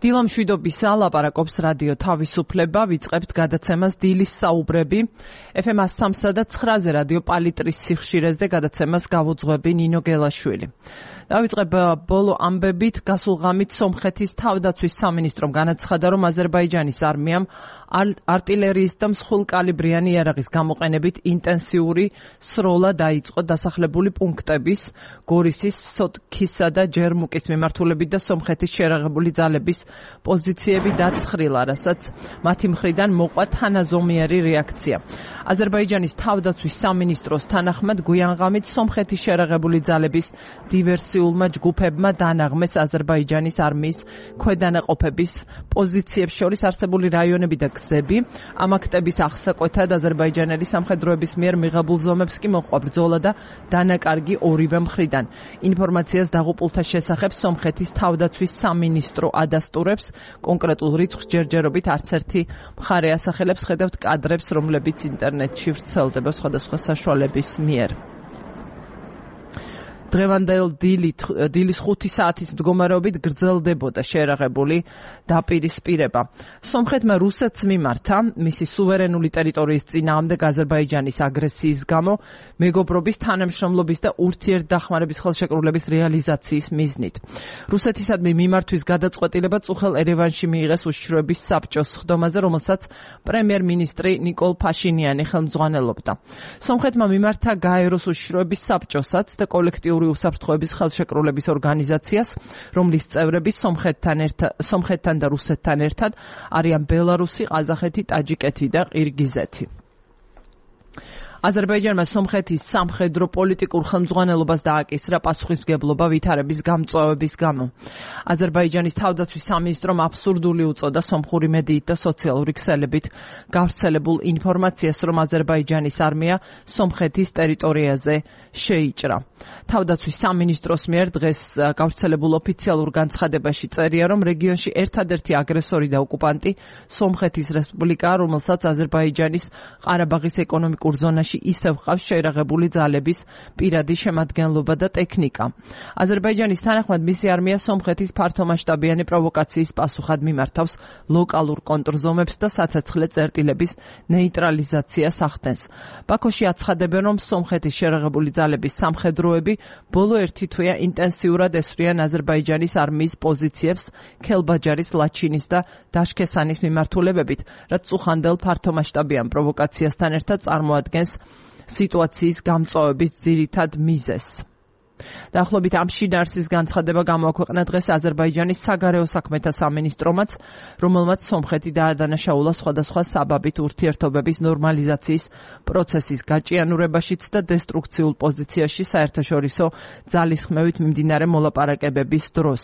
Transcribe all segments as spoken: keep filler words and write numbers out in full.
დილამშვიდობისა ლაპარაკობს რადიო თავისუფლება, ვიწყებთ გადაცემას დილის საუბრები. ეფ ემ სამსა და ცხრაზე რადიო პალიტრის სიხშირეზე გადაცემას გავუძღვები ნინო გელაშვილი. დავიწყებ ბოლო ამბებით, გასულ ღამით სომხეთის თავდაცვის სამინისტრომ განაცხადა, რომ აზერბაიჯანის არმიამ არტილერიის და მსხვილკალიბრიანი იარაღის გამოყენებით ინტენსიური სროლა დაიწყო დასახლებული პუნქტების, გორისის, სოტქისა და ჯერმუკის მიმართულებით და სომხეთის შერაღებული ძალების პოზიციები დაცხრილა, რასაც მათი მხრიდან მოყვა თანაზომიერი რეაქცია. აზერბაიჯანის თავდაცვის სამინისტროს თანახმად გვიანღამით სომხეთის შერაღებული ძალების დივერსიულმა ჯგუფებმა დანაღმეს აზერბაიჯანის არმიის ქვედანაყოფების პოზიციებს შორის არსებული რაიონები და გზები. ამ აქტების აღსაკვეთად აზერბაიჯანელი სამხედროების მიერ მიღებულ ზომებს კი მოჰყვა ბრძოლა და დანაკარგი ორივე მხრიდან. ინფორმაციას დაღუპულთა შესახებ სომხეთის თავდაცვის სამინისტრო ადასტურებს. კონკრეტულ რიცხვს ჯერჯერობით არც ერთი მხარე ასახელებს, ხედავთ კადრებს, რომლებიც ინტერნეტში ვრცელდება სხვადასხვა საშუალების მიერ. დღევანდელ დილის ხუთი საათის მდგომარეობით გრძელდებოდა შერაღებული დაპირისპირება. სომხეთმა რუსეთს მიმართა მისი სუვერენული ტერიტორიის წინააღმდეგ აზერბაიჯანის აგრესიის გამო მეგობრობის, თანამშრომლობის და ურთიერთდახმარების ხელშეკრულების რეალიზაციის მიზნით. რუსეთისადმი მიმართვის გადაწყვეტილება წუხელ ერევანში მიიღეს უშიშროების საბჭოს სხდომაზე, რომელსაც პრემიერ-მინისტრი ნიკოლ ფაშინიანი ხელმძღვანელობდა. სომხეთმა მიმართა გაეროს უშიშროების საბჭოსაც და კოლექტიური უსაფრთხოების ხელშეკრულების ორგანიზაციას, რომლის წევრები სომხეთთან ერთად, სომხეთთან და რუსეთთან ერთად არიან ბელარუსი, ყაზახეთი, ტაჯიკეთი და ყირგიზეთი. აზერბაიჯანმა სომხეთის სამხედრო პოლიტიკურ ხელმძღვანელობას დააკისრა პასუხისმგებლობა ვითარების გამწვავების გამო. აზერბაიჯანის თავდაცვის სამინისტრომ აბსურდული უწოდა სომხური მედიით და სოციალური ქსელებით გავრცელებულ ინფორმაციას, რომ აზერბაიჯანის არმია სომხეთის ტერიტორიაზე შეიჭრა. თავდაცვის სამინისტროს მიერ დღეს გავრცელებულ ოფიციალურ განცხადებაში წერია, რომ რეგიონში ერთადერთი აგრესორი და ოკუპანტი სომხეთის რესპუბლიკაა, რომელსაც აზერბაიჯანის ყარაბაღის ეკონომიკურ ზონაში ისევ ხავს შეერაღებული ძალების პირადი შემადგენლობა და ტექნიკა. აზერბაიჯანის თანახმად მისი არმია სომხეთის ფართომასშტაბიანი პროვოკაციის პასუხად მიმართავს ლოკალურ კონტრზომებს და საცეცხლე წერტილების ნეიტრალიზაციას ახდენს. ბაქოში აცხადებენ, რომ სომხეთის შეერაღებული ძალების სამხედროები ბოლო ერთი თვეა ინტენსიურად ესვრიან აზერბაიჯანის არმიის პოზიციებს ქელბაჯარის, ლაჩინის და დაშქესანის მიმართულებებით, რაც წუხანდელ ფართომასშტაბიან პროვოკაციასთან ერთად წარმოადგენს სიტუაციის გამწვავების ძირითად მიზეზს. დაახლოებით ამ შინაარსის განცხადება გამოაქვეყნა დღეს აზერბაიჯანის საგარეო საქმეთა სამინისტრომაც, რომელმაც სომხეთი დაადანაშაულა სხვადასხვა საბაბით ურთიერთობების ნორმალიზაციის პროცესის გაჭიანურებაშიც და დესტრუქციულ პოზიციაში საერთაშორისო ძალისხმევით მიმდინარე მოლაპარაკებების დროს.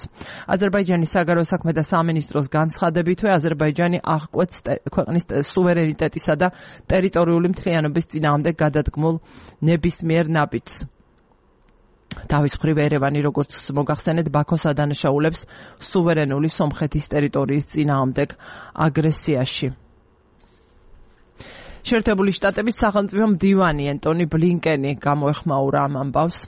აზერბაიჯანის საგარეო საქმეთა სამინისტროს განცხადებითვე აზერბაიჯანი აღკვეთს ქვეყნის სუვერენიტეტისა და ტერიტორიული მთლიანობის წინააღმდეგ გადადგმულ ნებისმიერ ნაბიჯს. თავის მხრივ ერევანი, როგორც მოგახსენეთ, ბაქოს ადანაშაულებს სუვერენული სომხეთის ტერიტორიის წინააღმდეგ აგრესიაში. შეერთებული შტატების სახელმწიფო მდივანი ენტონი ბლინკენი გამოეხმაურა ამ ამბავს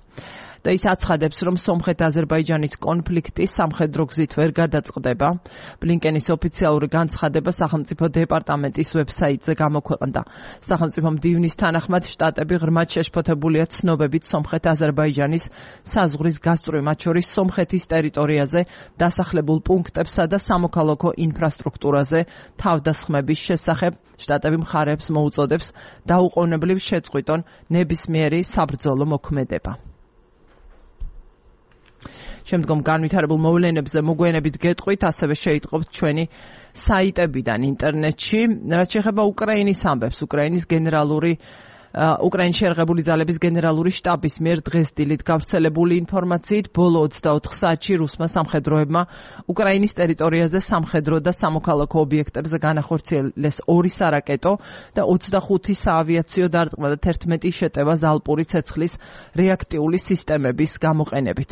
და ის აცხადებს, რომ სომხეთ-აზერბაიჯანის კონფლიქტი სამხედრო გზით ვერ გადაწყდება. ბლინკენის ოფიციალური განცხადება სახელმწიფო დეპარტამენტის ვებსაიტზე გამოქვეყნდა. სახელმწიფო მდივნის თანახმად შტატები ღრმად შეშფოთებულია ცნობებით სომხეთ-აზერბაიჯანის საზღვრის გასწვრივ, მათ შორის სომხეთის ტერიტორიაზე დასახლებულ პუნქტებსა და სამოქალაქო ინფრასტრუქტურაზე თავდასხმების შესახებ. შტატები მხარეებს მოუწოდებს დაუყოვნებლივ შეწყვიტონ ნებისმიერი საბრძოლო მოქმედება. შემდგომ განვითარებულ მოვლენებზე მოგვიანებით გეტყვით, ასევე შეიტყობთ ჩვენი საიტებიდან ინტერნეტში. რაც შეეხება უკრაინის ამბებს, უკრაინის გენერალური უკრაინის შეერაღებული ძალების გენერალური შტაბის მიერ დღეს დილით გავრცელებული ინფორმაციით, ბოლო ოცდაოთხ საათში რუსმა სამხედროებმა უკრაინის ტერიტორიაზე სამხედრო და სამოქალაქო ობიექტებზე განახორციელეს ორი სარაკეტო და ოცდახუთი საავიაციო დარტყმა და თერთმეტი შეტევა ზალპური ცეცხლის რეაქტიული სისტემების გამოყენებით.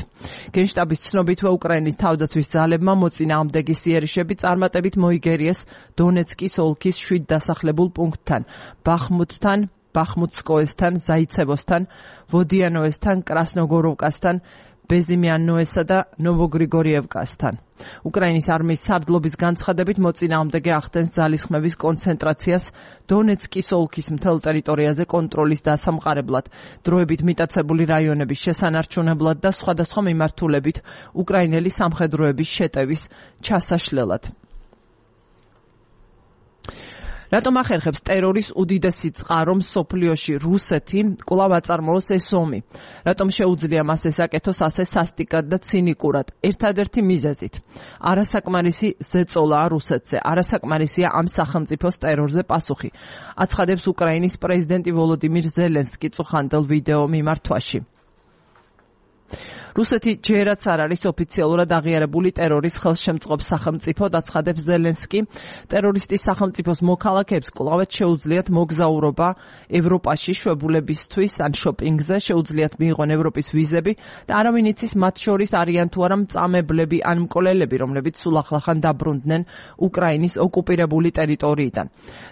გენშტაბის ცნობითვე უკრაინის თავდაცვის ძალებმა მოწინააღმდეგის იერიშები წარმატებით მოიგერიეს დონეცკის ოლქის შვიდ დასახლებულ პუნქტთან, ბახმუტთან, ბახმუტსკოესთან, ზაიცევოსთან, ვოდიანოესთან, კრასნოგოროვკასთან, ბეზიმიანოესა და ნოვოგრიგორიევკასთან. უკრაინის არმიის სარდლობის განცხადებით მოწინააღმდეგე ახდენს ძალისხმების კონცენტრაციას დონეცკის ოლქის მთელ ტერიტორიაზე კონტროლის დასამყარებლად, დროებით მიტაცებული რაიონების შესანარჩუნებლად და სხვადასხვა მიმართულებით უკრაინელი სამხედროების შეტევის ჩასაშლელად. რატომ ახერხებს ტერორის უდიდესი წყარო მსოფლიოში რუსეთი კვლავ აწარმოოს ეს ომი? რატომ შეუძლია მას ეს აკეთოს ასე სასტიკად და ცინიკურად? ერთადერთი მიზეზით. არასაკმარისი ზეწოლაა რუსეთზე, არასაკმარისია ამ სახელმწიფოს ტერორზე პასუხი. აცხადებს უკრაინის პრეზიდენტი ვოლოდიმირ ზელენსკი წუხანდელ ვიდეო მიმართვაში. რუსეთი ჯერაც არ არის ოფიციალურად აღიარებული ტერორის ხელშემწყობ სახელმწიფო, აცხადებს ზელენსკი. ტერორისტის სახელმწიფოს მოქალაქეებს კვლავ შეუძლიათ მოგზაურობა ევროპაში შვებულებისთვის ან შოპინგზე, შეუძლიათ მიიღონ ევროპის ვიზები და არავინ იცის მათ შორის არიან თუ არა მწამებლები ან მკვლელები, რომლებიც სულ ახლახან დაბრუნდნენ უკრაინის ოკუპირებული ტერიტორიიდან.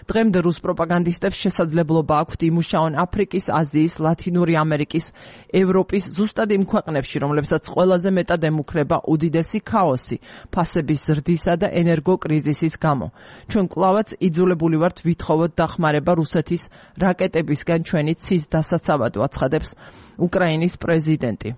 დღემდე რუს პროპაგანდისტებს შესაძლებლობა აქვთ იმუშაონ აფრიკის, აზიის, ლათინური ამერიკის, ევროპის, ზუსტად იმ ქვეყნებში, რომლებსაც ყველაზე მეტად ემუქრება უდიდესი ქაოსი, ფასების ზრდისა და ენერგოკრიზისის გამო. ჩვენ კვლავაც იძულებული ვართ ვითხოვოთ დახმარება რუსეთის რაკეტებისგან ჩვენი ცის დასაცავად, აცხადებს უკრაინის პრეზიდენტი.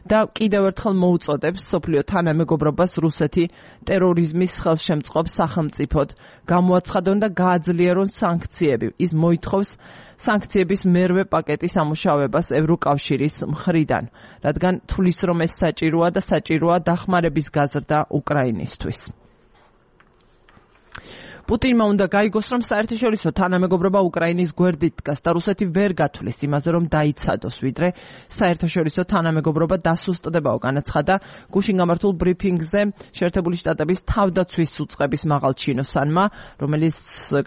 და კიდევ ერთხელ მოუწოდებს სოფლიო თანამეგობრობას რუსეთი ტერორიზმის ხელშემწყობ სახელმწიფოდ გამოაცხადონ და გააძლიერონ სანქციები. ის მოითხოვს სანქციების მერვე პაკეტის ამუშავებას ევროკავშირის მხრიდან, რადგან თulis რომ ეს საჭიროა და საჭიროა დახმარების გაზრდა უკრაინისთვის. პუტინმა უნდა გაიგოს, რომ საერთაშორისო თანამეგობრობა უკრაინის გვერდით დგას და რუსეთი ვერ გათვლის იმაზე, რომ დაიცადოს, ვიდრე საერთაშორისო თანამეგობრობა დასუსტდებაო, განაცხადა გუშინ გამართულ ბრიფინგზე შეერთებული შტატების თავდაცვის უწყების მაღალ ჩინოსანმა, რომელიც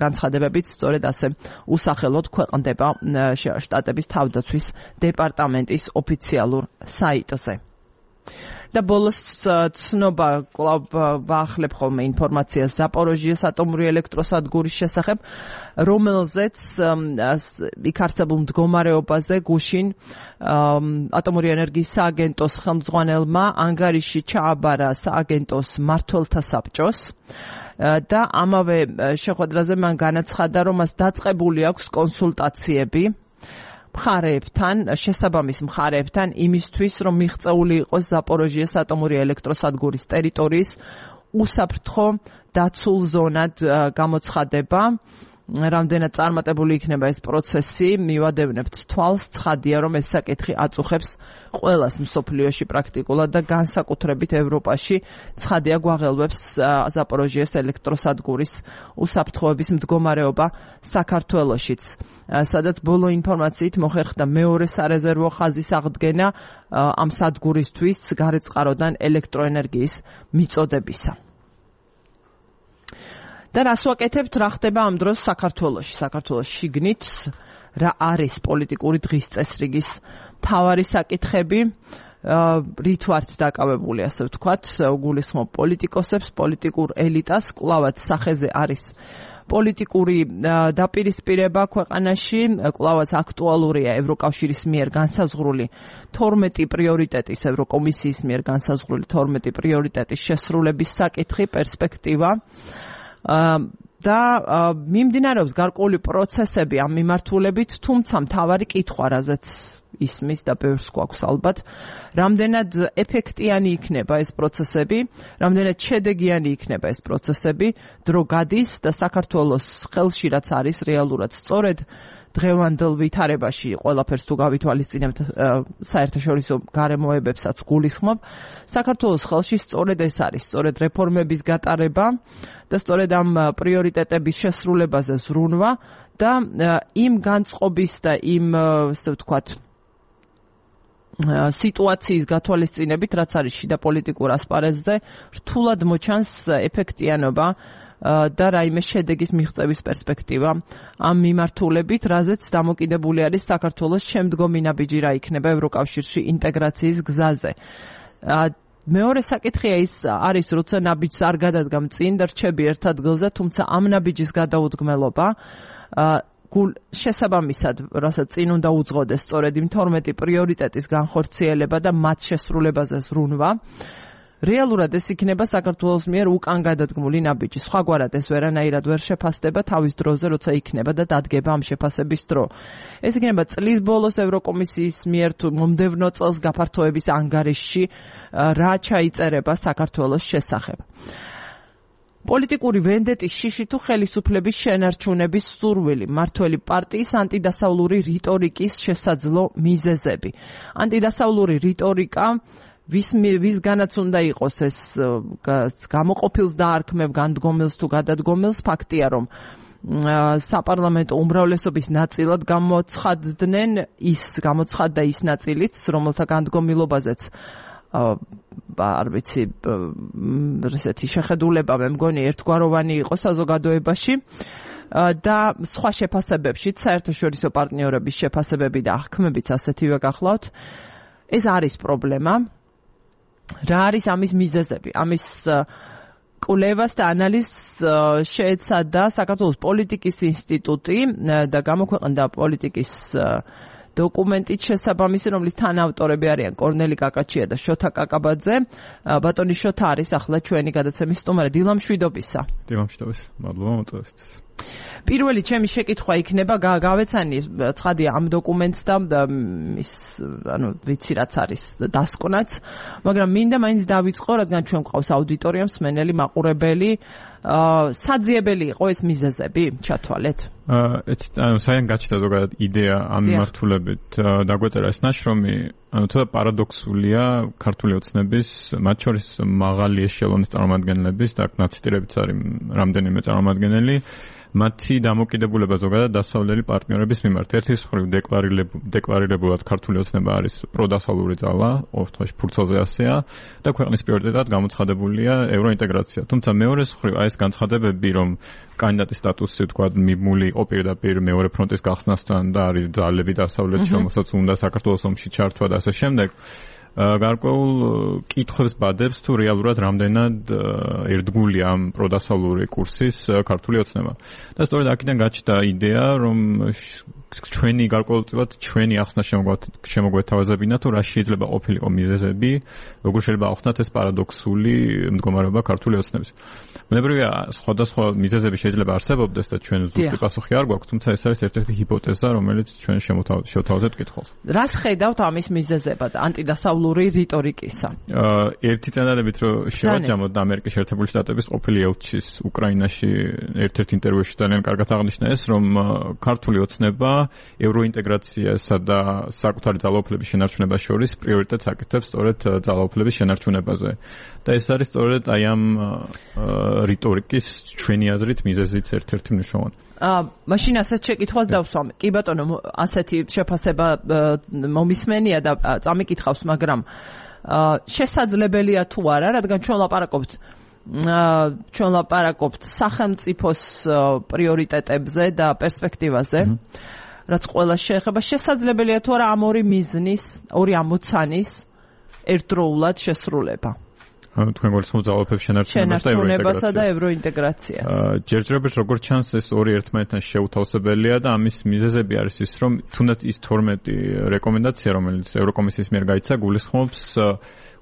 განცხადებებით სწორედ ასე usახელოდ ქვეყნდება შტატების თავდაცვის დეპარტამენტის ოფიციალურ საიტზე. და ბოლოს ცნობა კვლავ ვაახლებ ხოლმე ინფორმაციას ზაპოროჟიეს ატომური ელექტროსადგურის შესახებ, რომელზეც იქ არსებულ მდგომარეობაზე გუშინ ატომური ენერგიის სააგენტოს ხელმძღვანელმა ანგარიში ჩააბარა სააგენტოს მმართველთა საბჭოს და ამავე შეხვედრაზე მან განაცხადა, რომ მას დაწყებული აქვს კონსულტაციები მხარეებთან, შესაბამის მხარეებთან იმისთვის, რომ მიღწეული იყოს ზაპოროჟიეს ატომური ელექტროსადგურის ტერიტორიის უსაფრთხო დაცულ ზონად გამოცხადება. რამდენად წარმატებული იქნება ეს პროცესი, მივადევნებთ თვალს, ცხადია, რომ ეს საკითხი აწუხებს ყველას მსოფლიოში პრაქტიკულად და განსაკუთრებით ევროპაში. ცხადია, გვაღელვებს ზაპოროჟიეს ელექტროსადგურის უსაფრთხოების მდგომარეობა საქართველოშიც, სადაც ბოლო ინფორმაციით მოხერხდა მეორე სარეზერვო ხაზის აღდგენა ამ სადგურისთვის გარეწყაროდან ელექტროენერგიის მიწოდებისა. და რას ვაკეთებთ, რა ხდება ამ დროს საქართველოში? საქართველოს შიგნით რა არის პოლიტიკური დღის წესრიგის მთავარი საკითხები, რით ვართ დაკავებული, ასე ვთქვათ, გულისხმობ პოლიტიკოსებს, პოლიტიკურ ელიტას, კვლავაც სახეზე არის პოლიტიკური დაპირისპირება ქვეყანაში, კვლავაც აქტუალურია ევროკავშირის მიერ განსაზღვრული თორმეტი პრიორიტეტის, ევროკომისიის მიერ განსაზღვრული თორმეტი პრიორიტეტის შესრულების საკითხი, პერსპექტივა. და მიმდინარეობს გარკვეული პროცესები ამ მიმართულებით, თუმცა მთავარი კითხვა, რაზეც ისმის და ბევრს გვაქვს ალბათ, რამდენად ეფექტიანი იქნება ეს პროცესები, რამდენად შედეგიანი იქნება ეს პროცესები, დრო გადის და საქართველოს ხელში რაც არის რეალურად სწორედ დღევანდელ ვითარებაში ყველაფერს თუ გავითვალისწინებთ საერთაშორისო გარემოებებსაც გულისხმობ, საქართველოს ხელში სწორედ ეს არის, სწორედ რეფორმების გატარება და სწორედ ამ პრიორიტეტების შესრულებაზე ზრუნვა და იმ განწყობის და იმ, ასე ვთქვათ, სიტუაციის გათვალისწინებით, რაც არის შიდა პოლიტიკურ ასპარეზზე, რთულად მოჩანს ეფექტიანობა და რაიმე შედეგის მიღწევის პერსპექტივა ამ მიმართულებით, რაზეც დამოკიდებული არის საქართველოს შემდგომი ნაბიჯი რა იქნება ევროკავშირში ინტეგრაციის გზაზე. მეორე საკითხია ის არის, როცა ნაბიჯს არ გადადგამ წინ და რჩები ერთ ადგილზე, თუმცა ამ ნაბიჯის გადაუდგმელობა შესაბამისად, რასაც წინ უნდა უძღოდეს სწორედ იმ თორმეტი პრიორიტეტის განხორციელება და მათ შესრულებაზე ზრუნვა, რეალურად ეს იქნება საქართველოს მიერ უკან გადადგმული ნაბიჯი. სხვაგვარად ეს ვერანაირად ვერ შეფასდება თავის დროზე, როცა იქნება და დადგება ამ შეფასების დრო. ეს იქნება წლის ბოლოს ევროკომისიის მიერ თუ მომდევნო წელს გაფართოების ანგარიშში, რა ჩაიწერება საქართველოს შესახებ. პოლიტიკური ვენდეტის შიში თუ ხელისუფლების შენარჩუნების სურვილი, მართველი პარტიის ანტიდასავლური რიტორიკის შესაძლო მიზეზები. ანტიდასავლური რიტორიკა ვის ვისგანაც უნდა იყოს ეს გამოყოფილს დაარქმევ განდგომილს თუ გადადგომილს, ფაქტია რომ საპარლამენტო უმრავლესობის ნაწილად გამოცხადდნენ ის გამოცხადდა ის ნაწილიც, რომელთა განდგომილობაზეც არ ვიცი, ესეთი შეხედულება მე მგონი ერთგვაროვანი იყო საზოგადოებაში და სხვა შეფასებებშიც, საერთაშორისო პარტნიორების შეფასებები და აღქმებიც ასეთივე გახლავთ. ეს არის პრობლემა. რა არის ამის მიზეზები? ამის კვლევას და ანალიზს შეეცადა საქართველოს პოლიტიკის ინსტიტუტი და გამოქვეყნდა პოლიტიკის დოკუმენტით შესაბამისი, რომლის თანაავტორები არიან კორნელი კაკაჩია და შოთა კაკაბაძე. ბატონი შოთა არის ახლა ჩვენი გადაცემის სტუმარი. დილა მშვიდობისა. დილა მშვიდობისა. მადლობა მოწვევისთვის. პირველი ჩემი შეკითხვა იქნება, გავეცანი ცხადია ამ დოკუმენტს და ის, ანუ ვიცი რაც არის დასკვნაც, მაგრამ მინდა მაინც დავიწყო, რადგან ჩვენ გვყავს აუდიტორია, მსმენელი, მაყურებელი, საძიებელი იყო ეს მიზეზები, ჩათვალეთ? ანუ საიდან გაჩნდა ზოგადად იდეა ამ მიმართულებით დაგვეწერა ეს ნაშრომი, ანუ ცოტა პარადოქსულია ქართული ოცნების, მათ შორის მაღალი ეშელონის წარმომადგენლების და ნაციტირებიც არის რამდენიმე წარმომადგენელი, მათი დამოკიდებულება ზოგადად დასავლელი პარტნიორების მიმართ. ერთის მხრივ დეკლარირებულად ქართული ოცნება არის პროდასავლური ძალა, ორ თვეში ფურცელზე ასეა და ქვეყნის პრიორიტეტად გამოცხადებულია ევროინტეგრაცია. თუმცა მეორეს მხრივ აი ეს განცხადებები, რომ კანდიდატის სტატუსი თქვა მიმული იყო პირდაპირ მეორე ფრონტის გახსნასთან და არის ძალები დასავლეთში, რომელსაც უნდა საქართველოს ომში ჩართვა და ასე შემდეგ. გარკვეულ კითხვებს ბადებს თუ რეალურად რამდენად ერთგულია ამ პროდასავლური კურსის ქართული ოცნება. და სწორედ აქედან გაჩნდა იდეა, რომ ჩვენი გარკვეულწილად ჩვენი ახსნა შემოგვეთავაზებინა თუ რა შეიძლება ყოფილიყო მიზეზები, როგორ შეიძლება ახსნათ ეს პარადოქსული მდგომარეობა ქართული ოცნების. ბუნებრივია, სხვადასხვა მიზეზები შეიძლება არსებობდეს და ჩვენ ზუსტი პასუხი არ გვაქვს, თუმცა ეს არის ერთ-ერთი ჰიპოთეზა, რომელიც ჩვენ შევთავაზებთ კითხავს. რას ხედავთ ამის მიზეზებად ანტიდასავლური რიტორიკისა? ერთი წინადადებით რომ შევაჯამოთ და ამერიკის შეერთებული შტატების ყოფილი ელჩის უკრაინაში ერთ-ერთ ინტერვიუში ძალიან კარგად აღნიშნა ეს, რომ ქართული ოცნება ევროინტეგრაციასა და საკუთარი ძალაუფლების შენარჩუნებას შორის პრიორიტეტს აკეთებს სწორედ ძალაუფლების შენარჩუნებაზე. და ეს არის სწორედ აი ამ რიტორიკის ჩვენი აზრით მიზეზიც ერთ-ერთი მნიშვნელოვანი. აა მაშინ ასეთ შეკითხვას დავსვამ. კი ბატონო, ასეთი შეფასება მომისმენია და წამიკითხავს, მაგრამ აა შესაძლებელია თუ არა, რადგან ჩვენ ლაპარაკობთ აა ჩვენ ლაპარაკობთ სახელმწიფოს პრიორიტეტებზე და პერსპექტივაზე. რაც ყველა შეეხება, შესაძლებელია თუ არა ამ ორი მიზნის, ორი ამოცანის ერთდროულად შესრულება. ანუ თქვენ გულისხმობთ ძალაუფლების შენარჩუნებასა და ევროინტეგრაციას. ჯერჯერობით როგორც ჩანს ეს ორი ერთმანეთთან შეუთავსებელია და ამის მიზეზები არის ის, რომ თუნდაც ის თორმეტი რეკომენდაცია, რომელიც ევროკომისიის მიერ გაიცა, გულისხმობს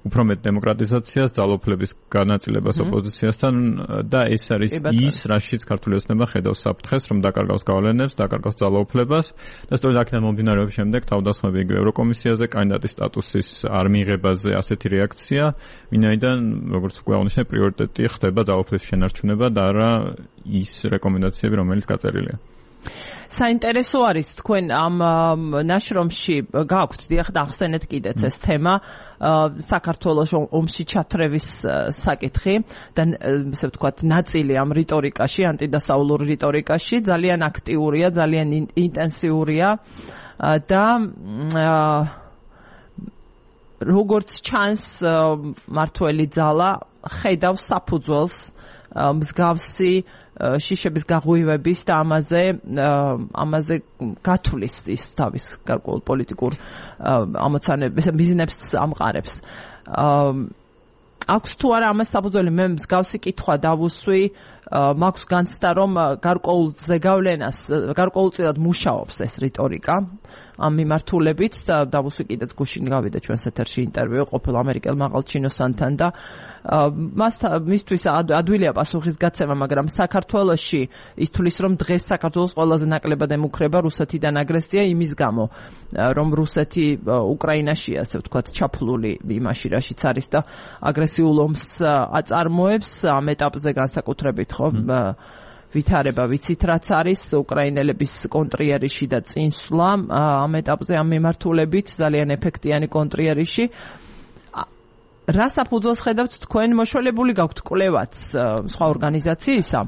უფრო მეტ დემოკრატიზაციას, ძალაუფლების განაწილებას ოპოზიციასთან და ეს არის ის, რაშიც ქართული ოცნება ხედავს საფრთხეს, რომ დაკარგავს გავლენებს, დაკარგავს ძალაუფლებას და სწორედ აქედან მომდინარეობს შემდეგ თავდასხმები იგივე ევროკომისიაზე, კანდიდატის სტატუსის არ მიღებაზე ასეთი რეაქცია, ვინაიდან, როგორც უკვე აღნიშნე, პრიორიტეტი ხდება ძალაუფლების შენარჩუნება და არა ის რეკომენდაციები, რომელიც გაწერილია. საინტერესო არის თქვენ ამ ნაშრომში გაქვთ დიახ და ახსენეთ კიდეც ეს თემა საქართველოს ომში ჩათრევის საკითხი და ესე ვთქვათ ნაწილი ამ რიტორიკაში, ანტიდასავლურ რიტორიკაში ძალიან აქტიურია, ძალიან ინტენსიურია და როგორც ჩანს მართველი ძალა ხედავს საფუძველს მსგავსი შიშების გაღვივების და ამაზე ამაზე გათვლის ის თავის გარკვეულ პოლიტიკურ ამოცანებს, მიზნებს ამყარებს. აქვს თუ არა ამას საფუძველი? მე მსგავსი კითხვა დავუსვი მაქვს განცდა რომ გარკვეულ ზეგავლენას გარკვეულწილად მუშაობს ეს რიტორიკა ამ მიმართულებით და დავუსვი კიდეც გუშინ გავიდა ჩვენს ეთერში ინტერვიუ ყოფილ ამერიკელ მაღალჩინოსანთან და მას მისთვის ადვილია პასუხისგაცემა, მაგრამ საქართველოში ის თulis რომ დღეს საქართველოს ყველაზე ნაკლებად ემუქრება რუსეთიდან აგრესია იმის გამო, რომ რუსეთი უკრაინაში ასე ვთქვათ ჩაფლული იმაში რაშიც არის და აგრესიულ ომს აწარმოებს ამ ეტაპზე განსაკუთრებით ხო ვითარება ვიცით რაც არის უკრაინელების კონტრიერიში და წინსვლა ამ ეტაპზე ამ მიმართულებით ძალიან ეფექტიანი კონტრიერიში რა საფუძველს ხედავთ თქვენ მოშველებული გაქვთ კვლევაც სხვა ორგანიზაციისა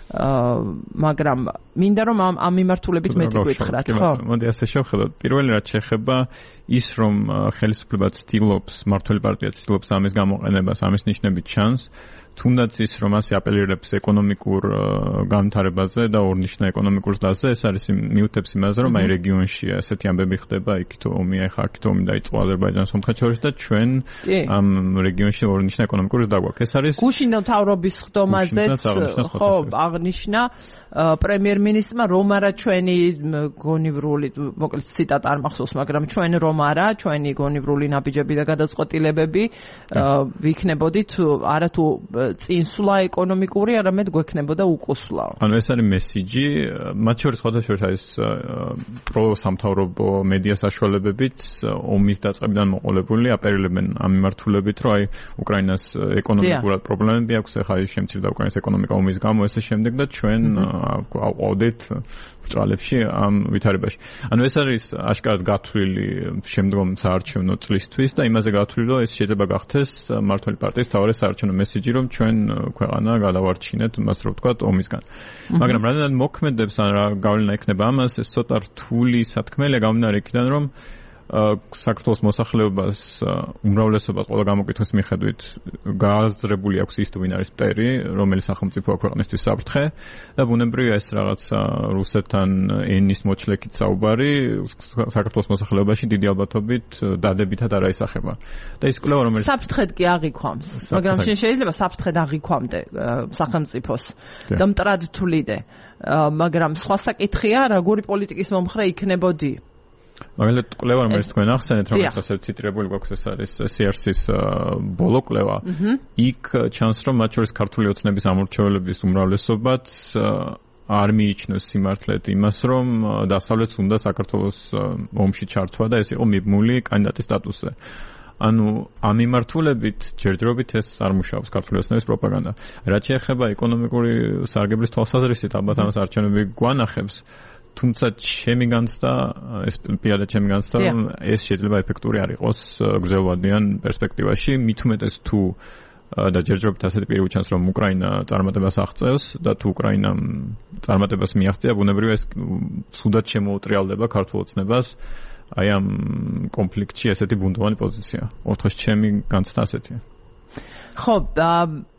მაგრამ მინდა რომ ამ ამ მიმართულებით მეტი გითხრათ ხო მოდი ასე შევხედოთ პირველი რაც შეეხება ის რომ ხელისუფლება ცდილობს მმართველი პარტია ცდილობს ამის გამოყენებას ამის ნიშნები ჩანს თუნდაც ის რომ ასე აპელირებს ეკონომიკურ განვითარებაზე და ორნიშნა ეკონომიკურ დაზზე ეს არის მიუთებს იმაზე რომ აი რეგიონში ასეთი ამბები ხდება იქით ომია ხა აქით ომი დაიწყო აზერბაიჯანს სომხეთს შორის და ჩვენ ამ რეგიონში ორნიშნა ეკონომიკური დაგვაქვს ეს არის გუშინ მთავრობის ხდომაზეც ხო აღნიშნა პრემიერ-მინისტრმა რომ არა ჩვენი გონივრული მოკლედ ციტატა არ მახსოვს მაგრამ ჩვენ რომ არა ჩვენი გონივრული ნაბიჯები და გადაწყვეტილებები ვიქნებოდით არა თუ წინსვლა ეკონომიკური, არამედ გვექნებოდა უკუსვლა. ანუ ეს არის მესიჯი, მათ შორის ხოთაშორის არის პროსამთავრობო მედია საშუალებებით ომის დაწყებიდან მოყოლებული აპერილებენ ამ მიმართულებით, რომ აი უკრაინას ეკონომიკურად პრობლემები აქვს, ახლა ის შემცირდა უკრაინის ეკონომიკა ომის გამო, ესე შემდეგ და ჩვენ ავყავდით ბრძოლებში ამ ვითარებაში. ანუ ეს არის აშკარად გათვლილი შემდგომ საარჩევნო წლისთვის და იმაზე გათვლილი, რომ ეს შეიძლება გახდეს მმართველი პარტიის მთავარი საარჩევნო მესიჯი, რომ ჩვენ ქვეყანა გადავარჩინეთ, მას რო ვთქვათ, ომისგან. მაგრამ რადგან მოქმედებს ან რა გავლენა ექნება ამას, ეს ცოტა რთული სათქმელია გამომდინარე იქიდან, რომ საქართველოს მოსახლეობას უმრავლესობას ყველა გამოკითხვის მიხედვით გააზრებული აქვს ის თუ ვინ არის მტერი, რომელი სახელმწიფოა ქვეყნისთვის საფრთხე და ბუნებრივია ეს რაღაცა რუსეთთან ენის მოჩლეკით საუბარი საქართველოს მოსახლეობაში დიდი ალბათობით დადებითად არ აისახება. და ის კვლევა რომელიც საფრთხედ კი აღიქვამს, მაგრამ შეიძლება საფრთხედ აღიქვამდე სახელმწიფოს და მტრად თვლიდე, მაგრამ სხვა საკითხია, როგორი პოლიტიკის მომხრე იქნებოდი. მაგალითად კვლევა რომელიც თქვენ ახსენეთ რომელიც ასე ციტირებული გვაქვს ეს არის სი არ სის ბოლო კვლევა იქ ჩანს რომ მათ შორის ქართული ოცნების ამორჩევლების უმრავლესობაც არ მიიჩნევს სიმართლედ იმას რომ დასავლეთს უნდა საქართველოს ომში ჩართვა და ეს იყო მიბმული კანდიდატის სტატუსზე ანუ ამ მიმართულებით ჯერჯერობით ეს არ მუშაობს ქართული ოცნების პროპაგანდა რაც შეეხება ეკონომიკური სარგებლის თვალსაზრისით ალბათ ამას არჩევნები გვანახებს თუმცა ჩემი განცდა ეს პირადად ჩემი განცდა რომ ეს შეიძლება ეფექტური არ იყოს გრძელვადიან პერსპექტივაში მით უმეტეს თუ და ჯერჯერობით ასეთი პირი ჩანს რომ უკრაინა წარმატებას აღწევს და თუ უკრაინამ წარმატებას მიაღწია ბუნებრივია ეს სუდად შემოუტრიალდება ქართულ ოცნებას აი ამ კონფლიქტში ესეთი ბუნდოვანი პოზიცია ოთხს ჩემი განცდა ასეთია ხო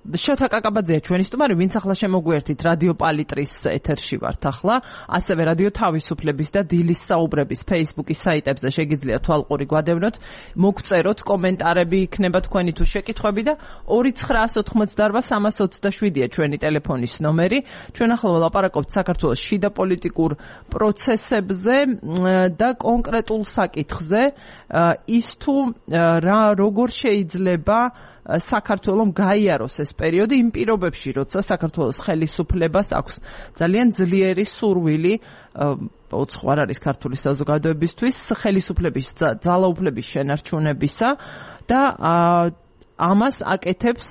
შოთა კაკაბაძეა ჩვენი სტუმარი, ვინც ახლა შემოგვერთით რადიო პალიტრის ეთერში ვართ ახლა, ასევე რადიო თავისუფლების და დილის საუბრების Facebook-ის საიტებზე შეგიძლიათ თვალყური გვადევნოთ, მოგწეროთ კომენტარები იქნება თქვენი თუ შეკითხვები და ორი ცხრაას ოთხმოცდაარბა სამას ოცდაშვიდია ჩვენი ტელეფონის ნომერი. ჩვენ ახლა ვლაპარაკობთ საქართველოს შიდა პოლიტიკურ პროცესებზე და კონკრეტულ საკითხზე, ის თუ რა როგორ შეიძლება საქართველოს გაიაროს ეს პერიოდი იმ პირობებში, როცა საქართველოს ხელისუფლებას აქვს ძალიან ძლიერი სურვილი ოცხوار არის ქართული საზოგადოებისთვის ხელისუფლების ძალაუფლების შენარჩუნებისა და ამას აკეთებს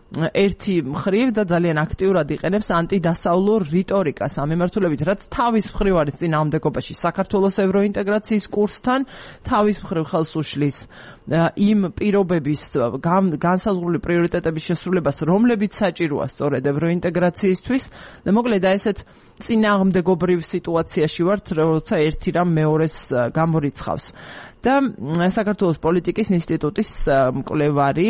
ერთი მხრივ და ძალიან აქტიურად იყენებს ანტიდასავლურ რიტორიკას ამ მიმართულებით, რაც თავის მხრივ არის წინააღმდეგობაში საქართველოს ევროინტეგრაციის კურსთან, თავის მხრივ ხელს უშლის იმ პირობების განსაზღვრული პრიორიტეტების შესრულებას, რომლებიც საჭიროა სწორედ ევროინტეგრაციისთვის და მოკლედ ესეთ წინააღმდეგობრივ სიტუაციაში ვართ, როცა ერთი რამ მეორეს გამორიცხავს. და საქართველოს პოლიტიკის ინსტიტუტის მკვლევარი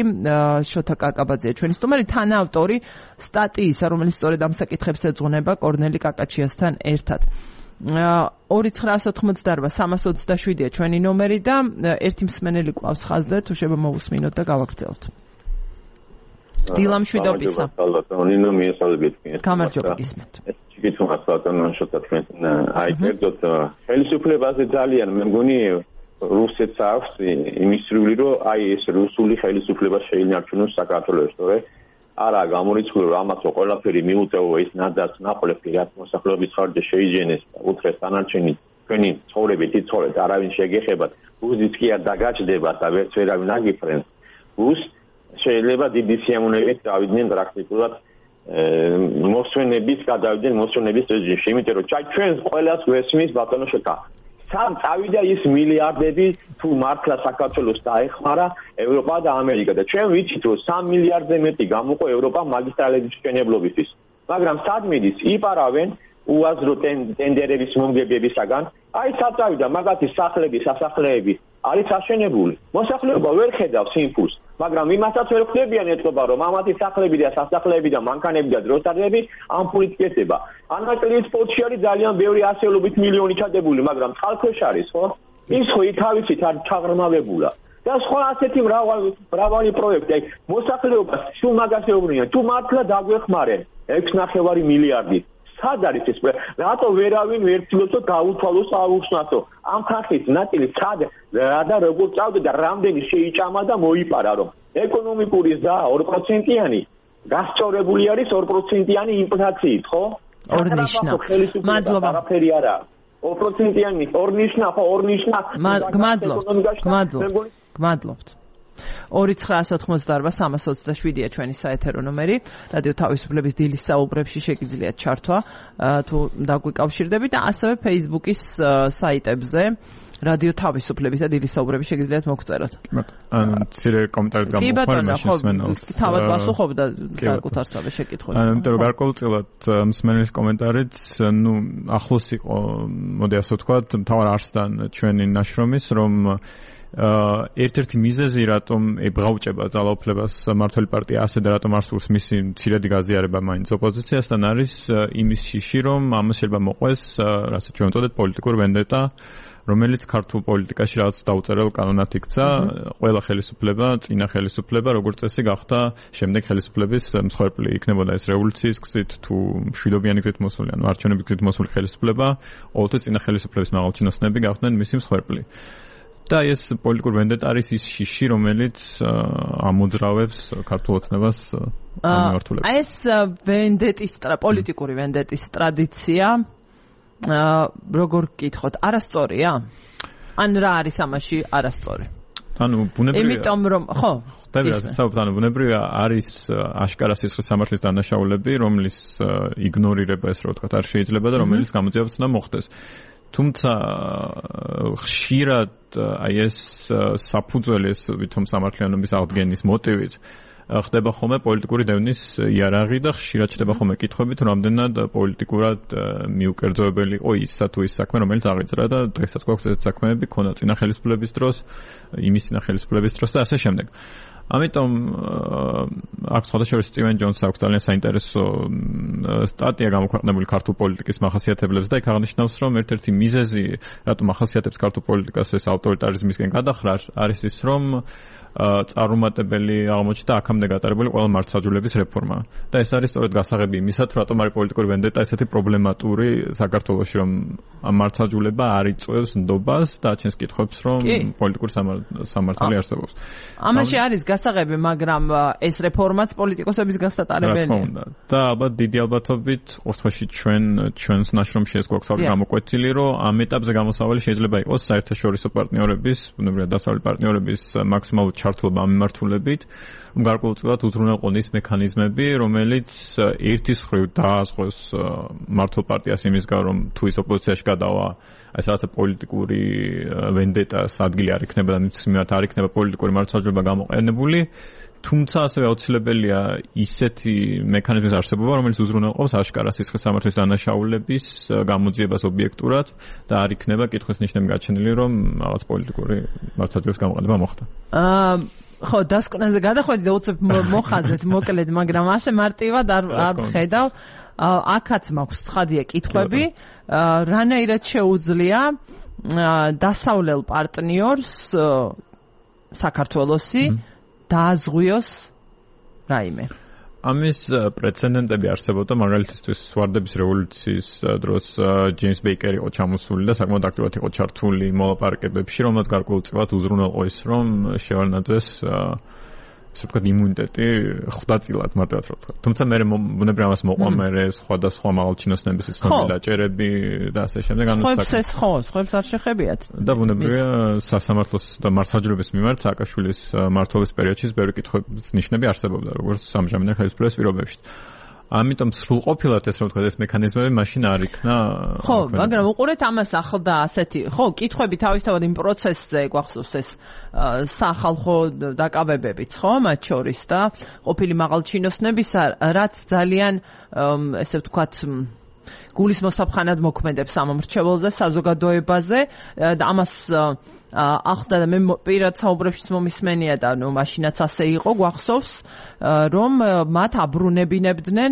შოთა კაკაბაძეა ჩვენი სტუმარი, თანაავტორი სტატიისა, რომელიც სწორედ ამ საკითხებს ეძღვნება კორნელი კაკაჩიასთან ერთად. ორი ცხრაას ოთხმოცდაარბა სამას ოცდაშვიდია ჩვენი ნომერი და ერთი მსმენელი ყავს ხაზზე, თუ შეიძლება მოვუსმინოთ და გავაგრძელოთ. დილა მშვიდობისა. ნინო მიესალმებით. გამარჯობა გისმენთ. ჩიკითუნას ბატონო შოთა თქვენ აი კერძოდ ხელისუფლებაზე ძალიან მე მგონი რუსეთს აქვს იმისრული რომ აი ეს რუსული ხელისუფლება შეინარჩუნოს საქართველოს, თორე არა გამორიცხული რომ ამას რო ყველაფერი მიუწევო ის ნადას ნაყოფი რაც მოსახლეობის ხარჯზე შეიჯენეს და უთხრეს დანარჩენი თქვენი ცხოვრებით იცხოვრეთ არავინ შეგეხებათ უზიც კი არ დაგაჭდებათ და ვერც ვერავინ აგიფრენს უს შეიძლება დიდი სიამოვნებით დავიდნენ პრაქტიკულად მოსვენების გადავიდნენ მოსვენების რეჟიმში იმიტომ რომ ჩვენ ყველას გვესმის ბატონო შეკა სამ წავიდა ის მილიარდები თუ მართლა საქართველოს დაეხმარა ევროპა და ამერიკა და ჩვენ ვიცით რომ სამ მილიარდზე მეტი გამოყო ევროპა მაგისტრალების მშენებლობისთვის მაგრამ სად მიდის იპარავენ უაზრო ტენდერების მომგებებისაგან აი სად წავიდა მაგათი სახლები სასახლეები არის აშენებული მოსახლეობა ვერ ხედავს იმპულს მაგრამ იმასაც ვერ ხვდებიან ეთქობა რომ ამათი სახლები და სასახლეები და მანქანები და დროშადები ამ ფულით კეთდება ანაკლის პორტში არის ძალიან ბევრი ასეულობით მილიონი ჩადებული მაგრამ წყალქვეშ არის ხო ის ხო ითავისით არ ჩაღრმავებულა და სხვა ასეთი მრავალი მრავალი პროექტი აი მოსახლეობას სულ მაგას ეუბნიან თუ მართლა დაგვეხმარენ ექვს ნახევარი მილიარდი სად არის ეს რატო ვერავინ ვერ ცდილობს გაუთვალოს აუხსნათო ამ ხალხის ნაწილი სად რა და როგორ წავდა და რამდენი შეიჭამა და მოიპარა რომ ეკონომიკური ზრდა ორ პროცენტიანი გასწორებული არის ორ პროცენტიანი ინფლაციით ხო ორნიშნა მადლობა არაფერი არა ორ პროცენტიანი ორნიშნა ხო ორნიშნა გმადლობთ გმადლობთ გმადლობთ ორი ცხრაასი ოთხმოცდაარბა სამას ოცდაშვიდია ჩვენი საეთერო ნომერი რადიო თავისუფლების დილის საუბრებში შეგიძლიათ ჩართვა თუ დაგვიკავშირდებით და ასევე Facebook-ის საიტებზე რადიო თავისუფლების და დილის საუბრები შეგიძლიათ მოგწეროთ. ანუ მცირე კომენტარი გამოხარ მაშინ მსმენელს. თავად პასუხობდა საკუთარსავე შეკითხვებს. ანუ იმიტომ რომ გარკვეულწილად მსმენელის კომენტარიც ნუ ახლოს იყო მოდი ასე ვთქვათ მთავარ არსთან ჩვენი ნაშრომის რომ ერთ-ერთი მიზეზი რატომ ებღაუჭება ძალაუფლებას მმართველი პარტია ასე და რატომ არ სურს მისი მცირედი გაზიარება მაინც ოპოზიციასთან არის იმის შიში რომ ამას შეიძლება მოყვეს რასაც ჩვენ ვწოდეთ პოლიტიკური ვენდეტა რომელიც ქართულ პოლიტიკაში რაღაც დაუწერელ კანონად იქცა ყველა ხელისუფლება წინა ხელისუფლება როგორც წესი გახდა შემდეგ ხელისუფლების მსხვერპლი იქნებოდა ეს რევოლუციის გზით თუ მშვიდობიანი გზით მოსული ანუ არჩევნების გზით მოსული ხელისუფლება ყოველთვის წინა ხელისუფლების მაღალჩინოსნები გახდნენ მისი მსხვერპლი და ეს პოლიტიკური ვენდეტა არის ის შიში რომელიც ამოძრავებს ქართულ ოცნებას ამმართველებს ეს ვენდეტის პოლიტიკური ვენდეტის ტრადიცია როგორ გკითხოთ არასწორია ან რა არის ამაში არასწორი ანუ ბუნებრივია იმიტომ რომ ხო ხდება საუბრობთ ანუ ბუნებრივია არის აშკარა სისხლის სამართლის დანაშაულები რომლის იგნორირება ეს რა ვთქვათ არ შეიძლება და რომელიც გამოძიებაც უნდა მოხდეს თუმცა ხშირად აი ეს საფუძველი ეს ვითომ სამართლიანობის აღდგენის მოტივით ხდება ხოლმე პოლიტიკური დევნის იარაღი და ხშირად ხდება ხოლმე კითხვებით რამდენად პოლიტიკურად მიუკერძოებელი იყო ისა თუ ის საქმე რომელიც აღიძრა და დღესაც გვაქვს ეს საქმეები ქონა წინა ხელისუფლების დროს იმის წინა ხელისუფლების დროს და ასე შემდეგ ამიტომ აქ სხვადასხვა სტივენ ჯონსს აქვს ძალიან საინტერესო სტატია გამოქვეყნებული ქართულ პოლიტიკის მახასიათებლებს და იქ აღნიშნავს რომ ერთ-ერთი მიზეზი რატომ ახასიათებს ქართულ პოლიტიკას ეს ავტორიტარიზმისკენ გადახრა არის ის რომ წარუმატებელი აღმოჩნდა აქამდე გატარებული ყველა მართლმსაჯულების რეფორმა და ეს არის სწორედ გასაღები იმისათ რატომ არის პოლიტიკური ვენდეტა ესეთი პრობლემატური საქართველოში რომ მართლმსაჯულება არ იწვევს ნდობას და აჩენს კითხვებს რომ პოლიტიკური სამართალი არსებობს ამაში არის გასაღები მაგრამ ეს რეფორმაც პოლიტიკოსების გასატარებელია და ალბათ დიდი ალბათობით ყოველთვის ჩვენ ჩვენს ნაშრომში ეს გვაქვს გამოკვეთილი რომ ამ ეტაპზე გამოსავალი შეიძლება იყოს საერთაშორისო პარტნიორების ბუნებრივია დასავლეთ პარტნიორების მაქსიმალური ჩართულობა მიმართულებით გარკვეულწილად უზრუნველყოფის მექანიზმები რომელიც ერთის მხრივ დაასხოს მართლ პარტიას იმის გამო რომ თუ ის ოპოზიციაში გადავა ეს რაღაცა პოლიტიკური ვენდეტას ადგილი არ იქნება და მის მიმართ არ იქნება პოლიტიკური მართლმსაჯულება გამოყენებული თუმცა ასევე აუცილებელია ისეთი მექანიზმის არსებობა რომელიც უზრუნველყოფს აშკარა სისხლის სამართლის დანაშაულების გამოძიებას ობიექტურად და არ იქნება კითხვის ნიშნები გაჩენილი რომ რაღაც პოლიტიკური მართლმსაჯულების გამოყენება მოხდა აა ხო დასკვნაზე გადახვედი და უცებ მოხაზეთ მოკლედ მაგრამ ასე მარტივად არ არ ხედავ აქაც მაქვს ცხადია კითხვები რანაირად შეუძლია დასავლელ პარტნიორს საქართველოსი დააზღვიოს რაიმე. ამის პრეცედენტები არსებობდა მაგალითისთვის ვარდების რევოლუციის დროს ჯეიმს ბეიკერი იყო ჩამოსული და საკმაოდ აქტიურად იყო ჩართული მოლაპარაკებებში, რომელმაც გარკვეულწილად უზრუნველყო ის, რომ შევარდნაძეს ასე ვთქვათ იმუნიტეტი ხვდაწილად მარტივად რა ვთქვათ. თუმცა მე ბუნებრივად ამას მოყვა მე სხვადასხვა მაღალჩინოსნების ცნობილი დაჭერები და ასე შემდეგ. ხოებს ეს ხო, ხოებს არ შეხებიათ. და ბუნებრივად სასამართლოს და მართლმსაჯულების მიმართ სააკაშვილის მმართველობის პერიოდში ბევრი კითხვების ნიშნები არსებობდა, როგორც სამჟამინარ ხელისუფლების პირობებში. ამიტომ სრულყოფილად ეს რა ვთქვათ ეს მექანიზმები მაშინ არ იქნა. ხო, მაგრამ უყურეთ ამას ახლდა ასეთი, ხო, კითხვები თავისთავად იმ პროცესზე გვახსოვს ეს სახალხო დაკავებებიც, ხო, მათ შორის და ყოფილი მაღალჩინოსნებისა, რაც ძალიან ესე ვთქვათ გულის მოსაფხანად მოქმედებს ამ მრჩეველზე, საზოგადოებაზე და ამას ახლდა და მე პირად საუბრებშიც მომისმენია და ნუ მაშინაც ასე იყო, გვახსოვს, რომ მათ აბრუნებინებდნენ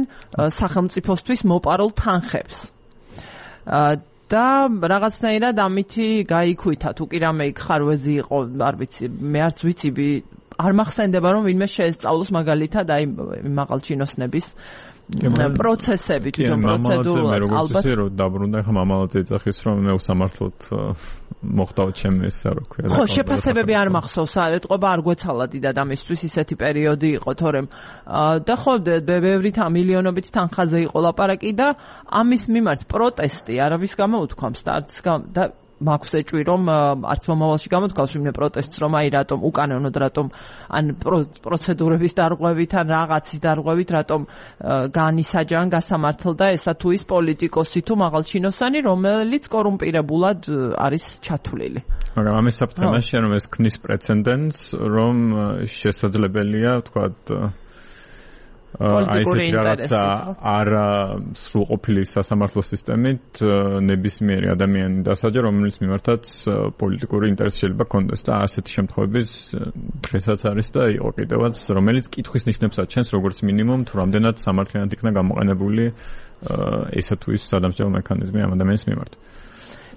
სახელმწიფოსთვის მოპარულ თანხებს. და რაღაცნაირად ამითი გაიქույთა, თუ კი რამე იქ ხარვეზი იყო, არ ვიცი, მე არც ვიცი, არ მახსენდება რომ ვინმე შეესწავლოს მაგალითად აი მაღალჩინოსნების პროცესები თვითონ პროცედურულად ალბათ რომ დაბრუნდა ხა მამალაძე ეძახის რომ მე უსამართლოდ მოხდაო ჩემ ეს რა ქვია ხო შეფასებები არ მახსოვს არ ეთყობა არ გვეცალა დიდად ამისთვის ისეთი პერიოდი იყო თორემ და ხო ბევრი მილიონობით თანხაზე იყო ლაპარაკი და ამის მიმართ პროტესტი არავის გამოუთქვამს და არც და მაქვს ეჭვი რომ არც მომავალში გამოთქვას ვინმე პროტესტს რომ აი რატომ უკანონოდ რატომ ან პროცედურების დარღვევით ან რაღაცის დარღვევით რატომ განისაჯან გასამართლდა ესა თუ ის პოლიტიკოსი თუ მაღალჩინოსანი რომელიც კორუმპირებულად არის ჩათვლილი მაგრამ ამის საფრთხემაშია რომ ეს ქმნის პრეცედენტს რომ შესაძლებელია ვთქვათ აი ეს რაღაცა არ სრულყოფილი სასამართლო სისტემით ნებისმიერი ადამიანი დასაჯა რომელიც მიმართაც პოლიტიკური ინტერესი შეიძლება კონდეს და ასეთი შემთხვევების დღესაც არის და იყო კიდევაც რომელიც კითხვის ნიშნებს აჩენს როგორც მინიმუმ თუ რამდენად სამართლიანად იქნა გამოყენებული ესა თუ ის სადამსჯელო მექანიზმი ამ ადამიანის მიმართ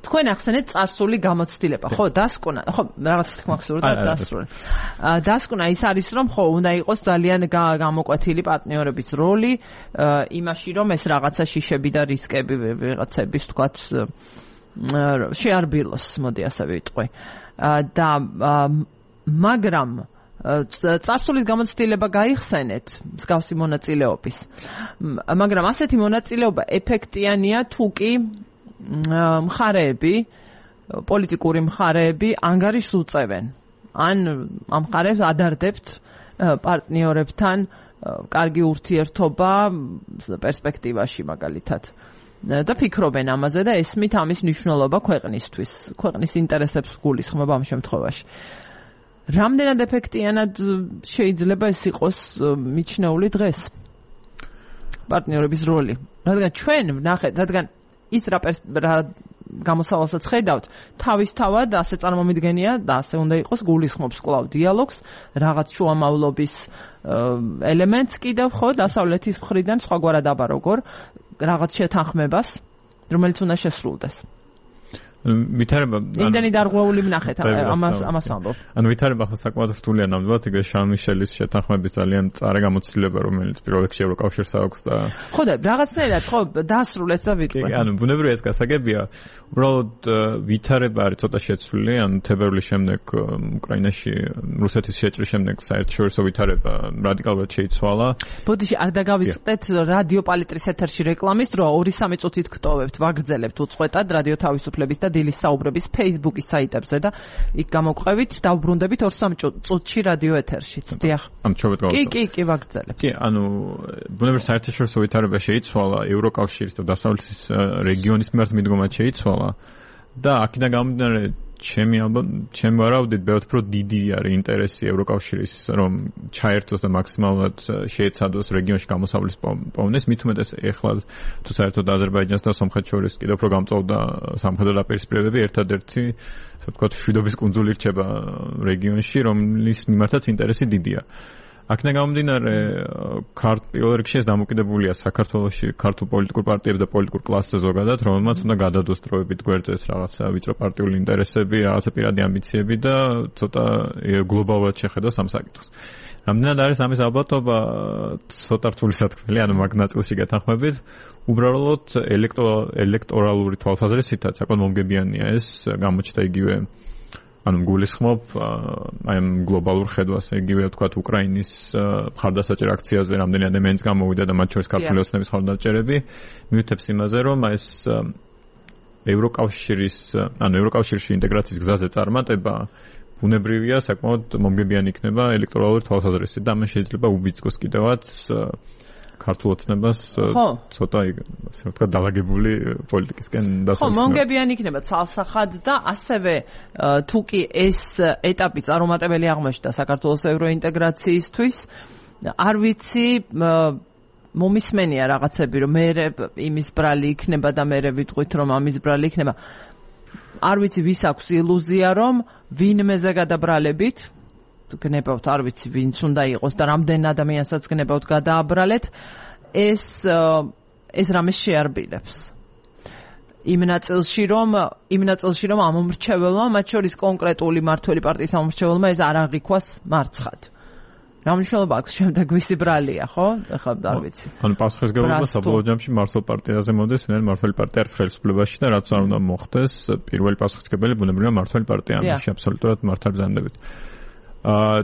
თქვენ ახსენეთ წარსული გამოცდილება, ხო, დასკვნა, ხო, რაღაც თქმა ხსურდა დასკვნა. დასკვნა ის არის, რომ ხო, უნდა იყოს ძალიან გამოკვეთილი პარტნიორების როლი იმაში, რომ ეს რაღაცა შიშები და რისკები ვიღაცების, თქვათ, შეარბილოს, მოდი ასე ვიტყვი. და მაგრამ წარსულის გამოცდილება გაიხსენეთ მსგავსი მონაწილეობის. მაგრამ ასეთი მონაწილეობა ეფექტიანია თუ კი მხარეები, პოლიტიკური მხარეები ანგარიშს უწევენ. ან ამ მხარეს ადარდებთ პარტნიორებთან კარგი ურთიერთობა პერსპექტივაში მაგალითად. და ფიქრობენ ამაზე და ესმით ამის მნიშვნელობა ქვეყნისთვის, ქვეყნის ინტერესებს გულისხმობა ამ შემთხვევაში. რამდენად ეფექტიანად შეიძლება ეს იყოს მიჩნეული დღეს? პარტნიორების როლი. რადგან ჩვენ ვნახეთ, რადგან ის რა გამოსავალსაც ხედავთ, თავისთავად ასე წარმომიდგენია და ასე უნდა იყოს გულისხმობს კვლავ დიალოგს, რაღაც შუამავლობის ელემენტს კიდევ ხო დასავლეთის მხრიდან სხვაგვარად აბა როგორ რაღაც შეთანხმებას, რომელიც უნდა შესრულდეს. ვითარება იმდენი დარღვეული ვნახეთ ამას ამას ვამბობ. ანუ ვითარება ხო საკმაოდ რთულია ნამდვილად იგივე შარლ მიშელის შეთანხმების ძალიან წარე გამოცდილება რომელიც პირველ რიგში ევროკავშირს აქვს და ხო და რაღაცნაირად ხო დაასრულეს და ვიტყვი. ანუ ბუნებრივია ეს გასაგებია. უბრალოდ ვითარება არის ცოტა შეცვლილი, ანუ თებერვლის შემდეგ უკრაინაში რუსეთის შეჭრის შემდეგ საერთაშორისო ვითარება რადიკალურად შეიცვალა. ბოდიში არ დაგავიწყდეთ რადიო პალიტრის ეთერში რეკლამის დრო ორი სამი წუთით გტოვებთ, ვაგრძელებთ უწყვეტად რადიო თავისუფლების და დილის საუბრების Facebook-ის საიტებზე და იქ გამოგვყევით დავბრუნდებით ორ სამ წუთში რადიო ეთერშიც. დიახ. ამ ჩობეთ გავაკეთე. კი, კი, კი, ვაგრძელებთ. კი, ანუ ბუნებრივად საერთაშორისო ვითარება შეიცვალა, ევროკავშირის და დასავლეთის რეგიონის მიმართ მიდგომა შეიცვალა და აქედან გამომდინარე ჩემი ალბათ ჩემი ვარავდით ბევრად უფრო დიდი არის ინტერესი ევროკავშირის რომ ჩაერთოს და მაქსიმალურად შეეცადოს რეგიონში გამოსავლის პოვნეს მით უმეტეს ეხლა თუ საერთოდ აზერბაიჯანს და სომხეთს შორის კიდევ უფრო გამწვავდა სამხედრო დაპირისპირებები ერთადერთი ასე ვთქვათ შვიდობის კუნძული რჩება რეგიონში რომლის მიმართაც ინტერესი დიდია აქედან გამომდინარე პირველ რიგში ეს დამოკიდებულია საქართველოში ქართულ პოლიტიკურ პარტიებს და პოლიტიკურ კლასზე ზოგადად, რომელმაც უნდა გადადოს დროებით გვერდზე რაღაცა ვიწრო პარტიული ინტერესები, რაღაცა პირადი ამბიციები და ცოტა გლობალურად შეხედოს ამ საკითხს. რამდენად არის ამის ალბათობა ცოტა რთული სათქმელი, ანუ მაგ ნაწილში გეთანხმებით. უბრალოდ ელექტორალური თვალსაზრისითაც საკმაოდ მომგებიანია ეს გამოჩნდა იგივე ანუ გულისხმობ აი ამ გლობალურ ხედვას, იგივე ვთქვათ უკრაინის მხარდასაჭერ აქციაზე რამდენი ადამიანიც გამოვიდა და მათ შორის ქართული ოცნების მხარდაჭერები მიუთებს იმაზე, რომ ეს ევროკავშირის ანუ ევროკავშირში ინტეგრაციის გზაზე წარმატება ბუნებრივია, საკმაოდ მომგებიანი იქნება ელექტორალური თვალსაზრისით და ამას შეიძლება უბიძგოს კიდევაც ქართულ ოცნებას ცოტა ასე ვთქვათ დაალაგებული პოლიტიკისკენ დასასრულებლად. ხო, მომგებიანი იქნება ცალსახად და ასევე თუ კი ეს ეტაპი წარუმატებელი აღმოჩნდა საქართველოს ევროინტეგრაციისთვის, არ ვიცი მომისმენია რაღაცები, რომ მე იმის ბრალი იქნება და მე ვიტყვით, რომ ამის ბრალი იქნება. არ ვიცი ვის აქვს ილუზია, რომ ვინმეზე გადაბრალებით გნებავთ, არ ვიცი ვინც უნდა იყოს და რამდენ ადამიანსაც გნებავთ გადააბრალეთ, ეს ეს რამე შეარბილებს. იმ ნაწილში რომ იმ ნაწილში რომ ამ მომრჩეველმა, მათ შორის კონკრეტული მართველი პარტიის მომრჩეველმა ეს არ აღიქვას მარცხად. რა მნიშვნელობა აქვს შემდეგ ვისი ბრალია, ხო? ეხლა არ ვიცი. ანუ პასუხისმგებლობა საბოლოო ჯამში მართლ პარტიაზე მოდის, ვინაიდან მართლ პარტია არის ხელისუფლებაში და რაც არ უნდა მოხდეს, პირველი პასუხისმგებელი ბუნებრივია მართლ პარტია, ამაში აბსოლუტურად მართალ ბრძანდებით. აა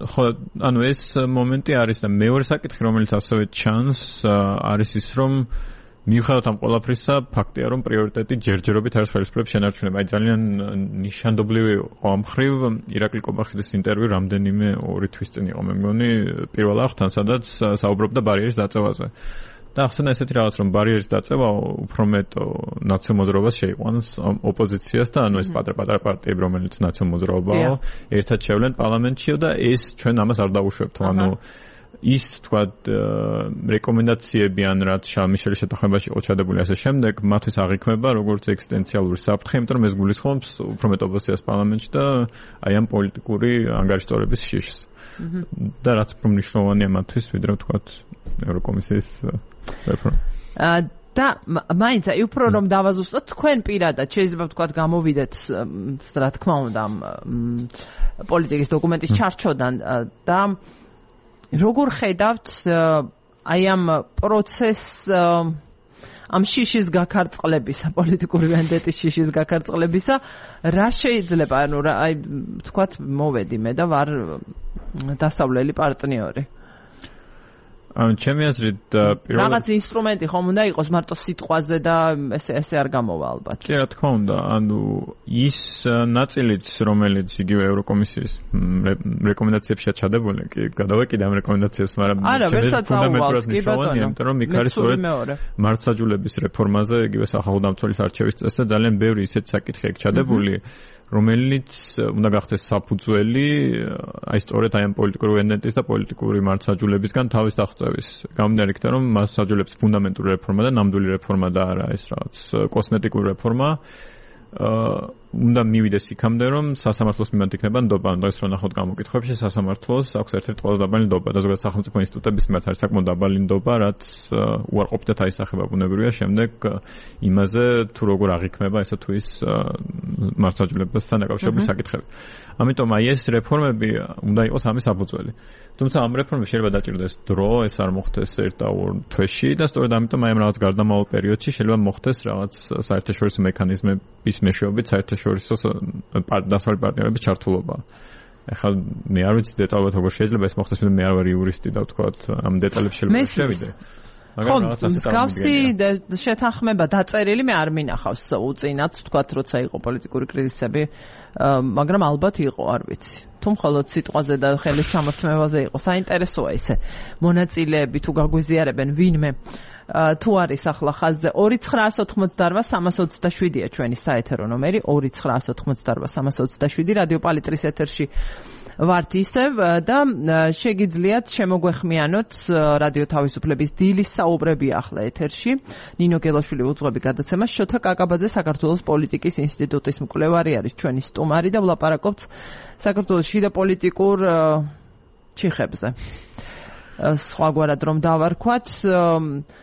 ხო, ანუ ეს მომენტი არის და მეორე საკითხი, რომელიც ასევე ჩანს, არის ის, რომ მიუხედავად ამ ყველაფრისა, ფაქტია, რომ პრიორიტეტი ჯერჯერობით არის ხელისუფლების შენარჩუნება. აი ძალიან ნიშანდობლივი იყო ამ მხრივ ირაკლი კობახიძის ინტერვიუ რამდენიმე ორი თვის წინ იყო, მე მგონი, პირველ არხთან, სადაც საუბრობდა ბარიერის დაწევაზე. და ახსენა ესეთი რაღაც, რომ ბარიერის დაწევა უფრო მეტ ნაციონალურ მოძრაობას შეიყვანს ოპოზიციას და ანუ ეს პატარ-პატარა პარტიები, რომელიც ნაციონალურ მოძრაობაა, ერთად შევლენ პარლამენტშიო და ეს ჩვენ ამას არ დავუშვებთ, ანუ ის თქვათ რეკომენდაციები ან რაც შალმიშელის შეთანხმებაში იყო ჩადებული ასე შემდეგ, მათთვის აღიქმება როგორც ექსისტენციალური საფრთხე, იმიტომ რომ ეს გულისხმობს უფრო მეტ ოპოზიციას პარლამენტში და აი ამ პოლიტიკური ანგარიშტორების შიშს. და რაც უფრო მნიშვნელოვანია მათთვის, ვიდრე თქვათ ევროკომისიის რეფორმა. და მაინც აი უფრო რომ დავაზუსტოთ, თქვენ პირადად შეიძლება ვთქვათ გამოვიდეთ, რა თქმა უნდა, პოლიტიკის დოკუმენტის ჩარჩოდან და როგორ ხედავთ აი ამ პროცესს ამ შიშის გაქარწყლებისა, პოლიტიკური ვენდეტის შიშის გაქარწყლებისა, რა შეიძლება, ანუ აი თქვათ მოვედი მე და ვარ დასავლელი პარტნიორი. ანუ ჩემი აზრით პირველად რაღაც ინსტრუმენტი ხომ უნდა იყოს მარტო სიტყვაზე და ესე ესე არ გამოვა ალბათ. კი, რა თქმა უნდა, ანუ ის ნაწილიც, რომელიც იგივე ევროკომისიის რეკომენდაციებშია ჩადებული, კი, გადავეკიდე ამ რეკომენდაციებს, მაგრამ არა, ვერსაც აუვალთ, კი ბატონო, იმიტომ რომ იქ არის სწორედ მართლმსაჯულების რეფორმაზე, იგივე სახალხო დამცველის არჩევის წესზე და ძალიან ბევრი ისეთი საკითხი აქვს ჩადებული, რომელიც უნდა გახდეს საფუძველი აი სწორედ აი ამ პოლიტიკური ვენდეტის და პოლიტიკური მართლმსაჯულებისგან თავის აღწევის. გამომდინარე იქიდან, რომ მას საჯულებს ფუნდამენტური რეფორმა და ნამდვილი რეფორმა და არა ეს რაღაც კოსმეტიკური რეფორმა. უნდა მივიდეს იქამდე, რომ სასამართლოს მიმართ იქნება ნდობა, ანუ ეს რო ნახოთ გამოკითხვებში, სასამართლოს აქვს ერთ-ერთი ყველაზე დაბალი ნდობა და ზოგადად სახელმწიფო ინსტიტუტების მიმართ არის საკმაოდ დაბალი ნდობა, რაც უარყოფითად აისახება ბუნებრივია შემდეგ იმაზე, თუ როგორ აღიქმება ესა თუ ის მართლმსაჯულებასთან დაკავშირებული საკითხები. ამიტომ აი ეს რეფორმები უნდა იყოს ამის საფუძველი. თუმცა ამ რეფორმებს შეიძლება დაჭირდეს დრო, ეს არ მოხდეს ერთ და ორ თვეში და სწორედ ამიტომ აი ამ რაღაც გარდამავალ პერიოდში შეიძლება მოხდეს რაღაც საერთაშორისო მექანიზმების მეშვეობით საერთაშორისო დასავლელი პარტნიორების ჩართულობა. ეხლა მე არ ვიცი დეტალურად როგორ შეიძლება ეს მოხდეს, მე არ ვარ იურისტი და ვთქვათ ამ დეტალებს შეიძლება შევიდე. ხო, მსგავსი შეთანხმება დაწერილი მე არ მინახავს უწინათ, ვთქვათ, როცა იყო პოლიტიკური კრიზისები, მაგრამ ალბათ იყო, არ ვიცი. თუ მხოლოდ სიტყვაზე და ხელის ჩამორთმევაზე იყო, საინტერესოა ესე. მონაწილეები თუ გაგვიზიარებენ ვინმე თუ არის ახლა ხაზზე ორი ცხრაას ოთხმოცდაოთხ სამას ოცდაშვიდია ჩვენი საეთერო ნომერი ორი ცხრაას ოთხმოცდაოთხ სამას ოცდაშვიდი რადიო პალიტრის ეთერში ვართ ისევ და შეგიძლიათ შემოგვეხმიანოთ რადიო თავისუფლების დილის საუბრები ახლა ეთერში. ნინო გელაშვილი უძღვები გადაცემას, შოთა კაკაბაძე საქართველოს პოლიტიკის ინსტიტუტის მკვლევარი არის ჩვენი სტუმარი და ვლაპარაკობთ საქართველოს შიდა პოლიტიკურ ჩიხებზე. სხვაგვარად რომ დავარქვათ,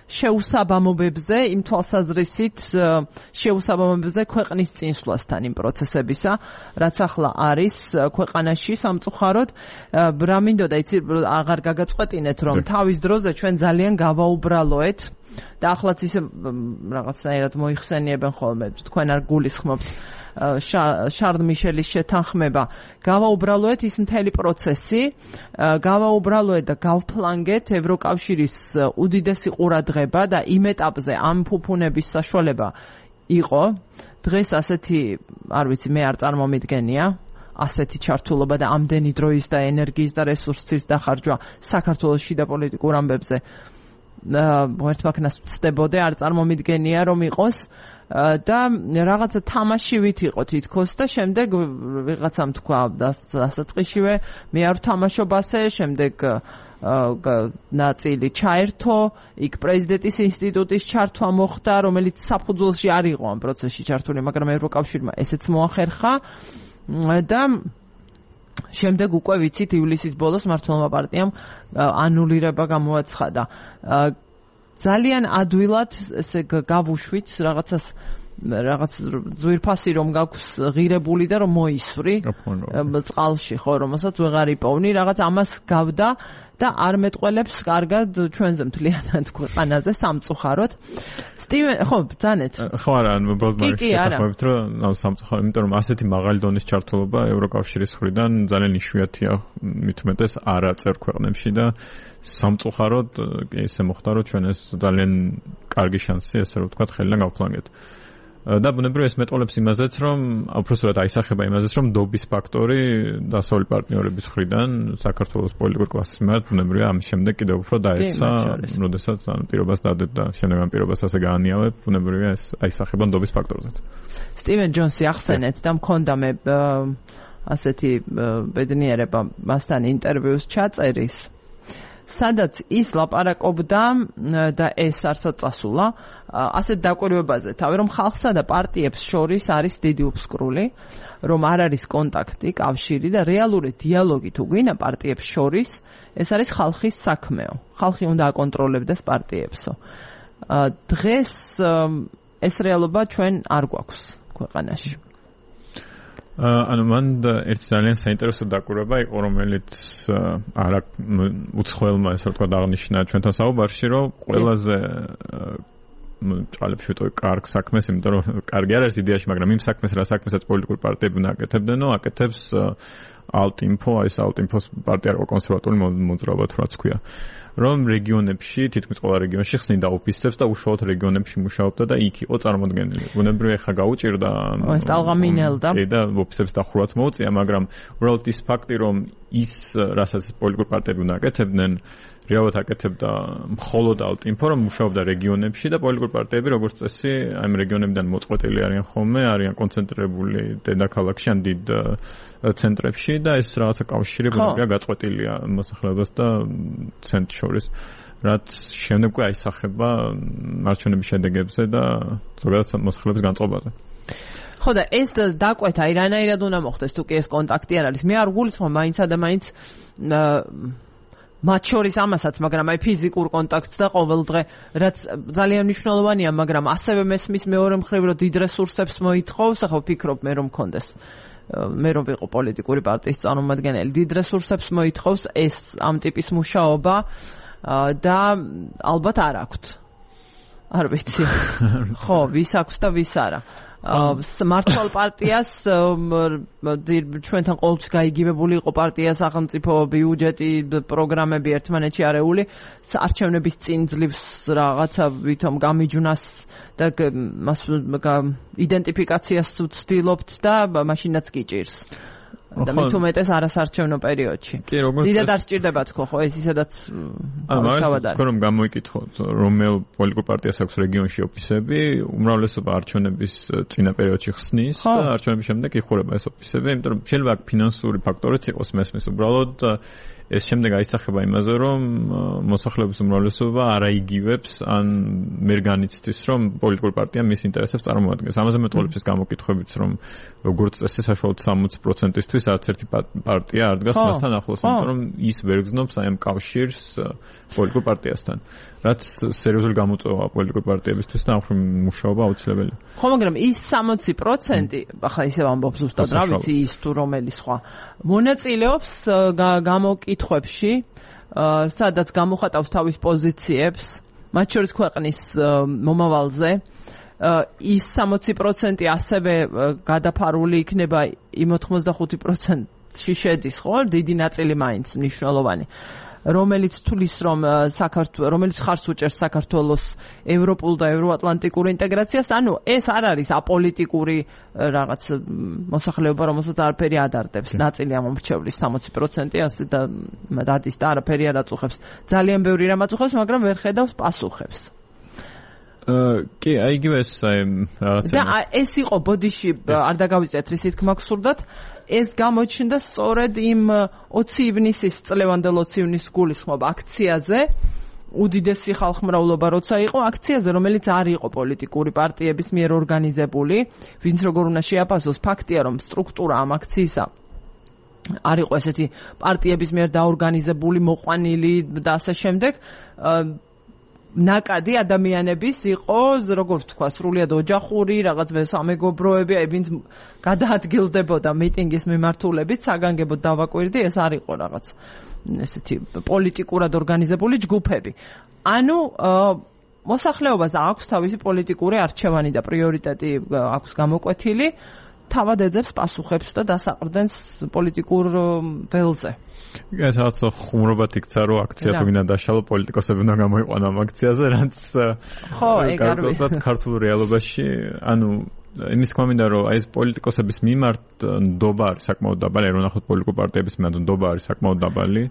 შეუსაბამობებზე, იმ თვალსაზრისით შეუსაბამობებზე ქვეყნის წინსვლასთან იმ პროცესებისა, რაც ახლა არის ქვეყანაში სამწუხაროდ, რა მინდოდა იცი აღარ გაგაწყვეტინეთ რომ თავის დროზე ჩვენ ძალიან გავაუბრალოეთ და ახლაც ისე რაღაცნაირად მოიხსენიებენ ხოლმე თქვენ არ გულისხმობთ შარლ მიშელის შეთანხმება გავაუბრალოეთ ის მთელი პროცესი გავაუბრალოეთ და გავფლანგეთ ევროკავშირის უდიდესი ყურადღება და იმ ეტაპზე ამ ფუფუნების საშუალება იყო დღეს ასეთი არ ვიცი მე არ წარმომიდგენია ასეთი ჩართულობა და ამდენი დროის და ენერგიის და რესურსის დახარჯვა საქართველოს შიდა პოლიტიკურ ამბებზე ერთმანეთს ვწდებოდე არ წარმომიდგენია რომ იყოს და რაღაცა თამაშივით იყო თითქოს და შემდეგ ვიღაცამ თქვა დასაწყისშივე მე არ ვთამაშობ ასე შემდეგ ნაწილი ჩაერთო იქ პრეზიდენტის ინსტიტუტის ჩართვა მოხდა რომელიც საფუძველში არ იყო ამ პროცესში ჩართული მაგრამ ევროკავშირმა ესეც მოახერხა და შემდეგ უკვე ვიცით ივლისის ბოლოს მართლმადიდებლმა პარტიამ ანულირება გამოაცხადა ძალიან ადვილად ესე გავუშვით რაღაცას რაღაც ძვირფასი რომ გაქვს ღირებული და რომ მოისვრი წყალში ხო რომელსაც ვეღარ იპოვნი რაღაც ამას გავდა და არ მეტყველებს კარგად ჩვენზე მთლიანად ქვეყანაზე სამწუხაროდ სტივენ ხო ბძანეთ ხო არა უბრალოდ მაგით რომ სამწუხაროდ იმიტომ რომ ასეთი მაღალი დონის ჩართულობა ევროკავშირის მხრიდან ძალიან იშვიათია მithumetes არა წერ ქვეყნებში და სამწუხაროდ ესე მოხდა რომ ჩვენ ეს ძალიან კარგი შანსი ესე რომ ვთქვათ ხელიდან გავფლანგეთ და ბუნებრივია ეს მეტყოლებს იმაზეც რომ უბრალოდ აისახება იმაზეც რომ დობის ფაქტორი დასავლური პარტნიორების მხრიდან საქართველოს პოლიტიკურ კლასის მიმართ ბუნებრივია ამის შემდეგ კიდევ უფრო დაეცა როდესაც ამ პირობას დადებდა შემდეგ ამ პირობას ასე გაანიავებ ბუნებრივია ეს აისახება დობის ფაქტორზეც სტივენ ჯონსი ახსენეთ და მქონდა მე ასეთი ბედნიერება მასთან ინტერვიუს ჩაწერის სადაც ის ლაპარაკობდა და ეს არცად წასულა ასეთ დაკვირვებაზე თავი რომ ხალხსა და პარტიებს შორის არის დიდი უფსკრული რომ არ არის კონტაქტი კავშირი და რეალური დიალოგი თუ გვინდა პარტიებს შორის ეს არის ხალხის საქმეო ხალხი უნდა აკონტროლებდეს პარტიებსო დღეს ეს რეალობა ჩვენ არ გვაქვს ქვეყანაში ანუ მან ერთი ძალიან საინტერესო დაკვირვება იყო რომელიც არა უცხოელმა ესე ვთქვა აღნიშნა ჩვენთან საუბარში რომ ყველაზე ჭალებში ვიტყვი კარგ საქმეს იმიტომ რომ კარგი არ არის იდეაში მაგრამ იმ საქმეს რა საქმესაც პოლიტიკური პარტიები უნდა აკეთებდნო აკეთებს ალტინფო აი ეს ალტინფოს პარტია რო კონსერვატორული მოძრაობა თუ რაც ქვია რომ რეგიონებში თითქმის ყველა რეგიონში ხსნიდა ოფისებს და უშუალოდ რეგიონებში მუშაობდა და იქ იყო წარმოდგენილი. ბუნებრივია ხა გაუჭირდა ეს ტალღამინელდა. და ოფისებს დახურვაც მოუწია, მაგრამ უბრალოდ ის ფაქტი რომ ის რასაც პოლიტიკურ პარტიები უნდა აკეთებდნენ, რეალურად აკეთებდა მხოლოდ ალტინფო რომ მუშაობდა რეგიონებში და პოლიტიკურ პარტიები როგორც წესი ამ რეგიონებიდან მოწყვეტილი არიან ხოლმე, არიან კონცენტრირებული დედაქალაქში ან დიდ ცენტრებში და ეს რაღაცა კავშირი ბუნებრივია გაწყვეტილია მოსახლეობას და ცენტრ შორის რაც შემდეგ უკვე აისახება მარჩვენების შედეგებზე და ზოგადად მოსახლეობის განწყობაზე. ხო და ეს დაკვეთა აი რანაირად უნდა მოხდეს თუ კი ეს კონტაქტი არ არის. მე არ გულისხმობ მაინცა და მაინც მათ შორის ამასაც, მაგრამ აი ფიზიკურ კონტაქტს და ყოველდღე, რაც ძალიან მნიშვნელოვანია, მაგრამ ასევე მესმის მეორე მხრივ, რომ დიდ რესურსებს მოითხოვს, ახლა ვფიქრობ მე რომ მქონდეს მე რომ ვიყო პოლიტიკური პარტიის წარმომადგენელი, დიდ რესურსებს მოითხოვს ეს ამ ტიპის მუშაობა და ალბათ არ აქვთ. არ ვიცი. ხო, ვის აქვს და ვის არა. მართლ პარტიას ჩვენთან ყოველთვის გაიგივებული იყო პარტია სახელმწიფო ბიუჯეტი პროგრამები ერთმანეთში არეული არჩევნების წინ ძლივს რაღაცა ვითომ გამიჯვნას და მას იდენტიფიკაციას ვცდილობთ და მაშინაც გიჭირს და მით უმეტეს არასარჩევნო პერიოდში. დიდად არ სჭირდება თქო ხო ეს ისედაც თავად არის. თქო რომ გამოიკითხოთ რომელ პოლიტიკურ პარტიას აქვს რეგიონში ოფისები, უმრავლესობა არჩევნების წინა პერიოდში ხსნის და არჩევნების შემდეგ იხურება ეს ოფისები, იმიტომ რომ შეიძლება აქ ფინანსური ფაქტორიც იყოს მესმის უბრალოდ ეს შემდეგ აისახება იმაზე, რომ მოსახლეობის უმრავლესობა არ აიგივებს ან ვერ განიცდის, რომ პოლიტიკური პარტია მის ინტერესებს წარმოადგენს. ამაზე მეტყოლებს ეს გამოკითხვებიც, რომ როგორც წესი საშუალოდ სამოცი პროცენტისთვის არც ერთი პარტია არ დგას მასთან ახლოს, იმიტომ რომ ის ვერ გრძნობს აი ამ კავშირს პოლიტიკურ პარტიასთან. რაც სერიოზული გამოწვევა პოლიტიკურ პარტიებისთვის და ახლა მუშაობა აუცილებელია. ხო, მაგრამ ის სამოცი პროცენტი, ახლა ისევ ამბობ ზუსტად, რა ვიცი, ის თუ რომელი სხვა მონაწილეობს გამოკითხვებში, სადაც გამოხატავს თავის პოზიციებს, მათ შორის ქვეყნის მომავალზე, ის სამოცი პროცენტი ასევე გადაფარული იქნება იმ ოთხმოცდახუთი პროცენტში შედის, ხო? დიდი ნაწილი მაინც მნიშვნელოვანი. რომელიც თulis რომ საქართველოს რომელიც ხარს უჭერს საქართველოს ევროპულ და ევროატლანტიკურ ინტეგრაციას, ანუ ეს არ არის აპოლიტიკური რაღაც მოსახლეობა, რომელსაც არაფერი ადარდებს. ნაწილი ამ მომრჩევლის სამოცი პროცენტი ასე და დადის და არაფერი არ აწუხებს. ძალიან ბევრი რამ აწუხებს, მაგრამ ვერ ხედავს პასუხებს. კი, აი იგივე ეს რაღაცა. და ეს იყო ბოდიში არ დაგავიწყეთ რისით გმაგსურდათ. ეს გამოჩნდა სწორედ იმ ოცი ივნისის წლევანდელ ოცი ივნისის გულისხმობ აქციაზე, უდიდესი ხალხმრავლობა როცა იყო აქციაზე, რომელიც არ იყო პოლიტიკური პარტიების მიერ ორგანიზებული, ვინც როგორ უნდა შეაფასოს. ფაქტია, რომ სტრუქტურა ამ აქციისა არ იყო ესეთი პარტიების მიერ დაორგანიზებული, მოყვანილი და ასე შემდეგ. ნაკადი ადამიანების იყო, როგორ ვთქვა, სრულიად ოჯახური, რაღაც სამეგობროები, აი ვინც გადაადგილდებოდა მიტინგის მიმართულებით, საგანგებოდ დავაკვირდი, ეს არ იყო რაღაც ესეთი პოლიტიკურად ორგანიზებული ჯგუფები. ანუ მოსახლეობას აქვს თავისი პოლიტიკური არჩევანი და პრიორიტეტი აქვს გამოკვეთილი, თავად ეძებს პასუხებს და დასაყრდენს პოლიტიკურ ველზე. ეს რაღაც ხუმრობად იქცა, რომ აქცია თუ გინდა დაშალო პოლიტიკოსები უნდა გამოიყვანო ამ აქციაზე, რაც ხო, ეგ არ ვიცი. ქართულ რეალობაში, ანუ იმის თქმა მინდა, რომ აი ეს პოლიტიკოსების მიმართ ნდობა არის საკმაოდ დაბალი, რომ ნახოთ პოლიტიკურ პარტიების მიმართ ნდობა არის საკმაოდ დაბალი.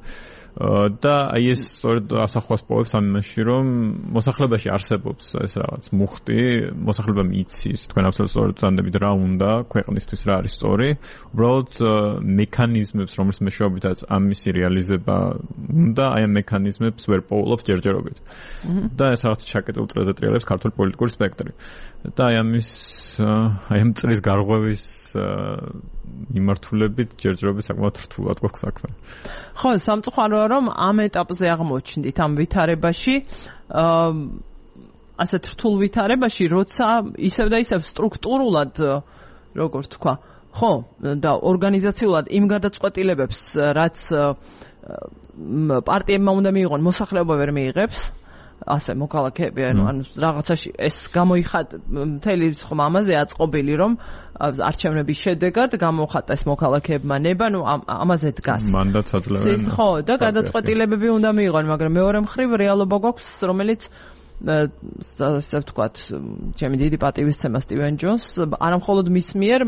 და აი ეს სწორედ ასახვას პოვებს ამ იმაში, რომ მოსახლეობაში არსებობს ეს რაღაც მუხტი, მოსახლეობა იცის, თქვენ აბსოლუტურად სწორად ვწანდებით რა უნდა ქვეყნისთვის, რა არის სწორი, უბრალოდ მექანიზმებს, რომლის მეშვეობითაც ამისი რეალიზება უნდა, აი ამ მექანიზმებს ვერ პოულობს ჯერჯერობით. და ეს რაღაც ჩაკეტილ წრეზე ტრიალებს ქართული პოლიტიკური სპექტრი. და აი ამის აი ამ წრის გარღვევის მიმართულებით ჯერჯერობით საკმაოდ რთულად გვაქვს საქმე. ხო, სამწუხაროა, რომ ამ ეტაპზე აღმოჩნდით ამ ვითარებაში, ასეთ რთულ ვითარებაში, როცა ისევ და ისევ სტრუქტურულად, როგორ თქვა, ხო, და ორგანიზაციულად იმ გადაწყვეტილებებს, რაც პარტიებმა უნდა მიიღონ, მოსახლეობა ვერ მიიღებს. ასე მოქალაქეები, ანუ რაღაცაში ეს გამოიხატ მთელი ხომ ამაზე აწყობილი, რომ არჩევნების შედეგად გამოხატეს მოქალაქეებმა ნება, ნუ ამაზე დგას. მანდატს აძლევენ. ხო, და გადაწყვეტილებები უნდა მიიღონ, მაგრამ მეორე მხრივ რეალობა გვაქვს, რომელიც ასე ვთქვათ, ჩემი დიდი პატივისცემა სტივენ ჯონს, არამხოლოდ მის მიერ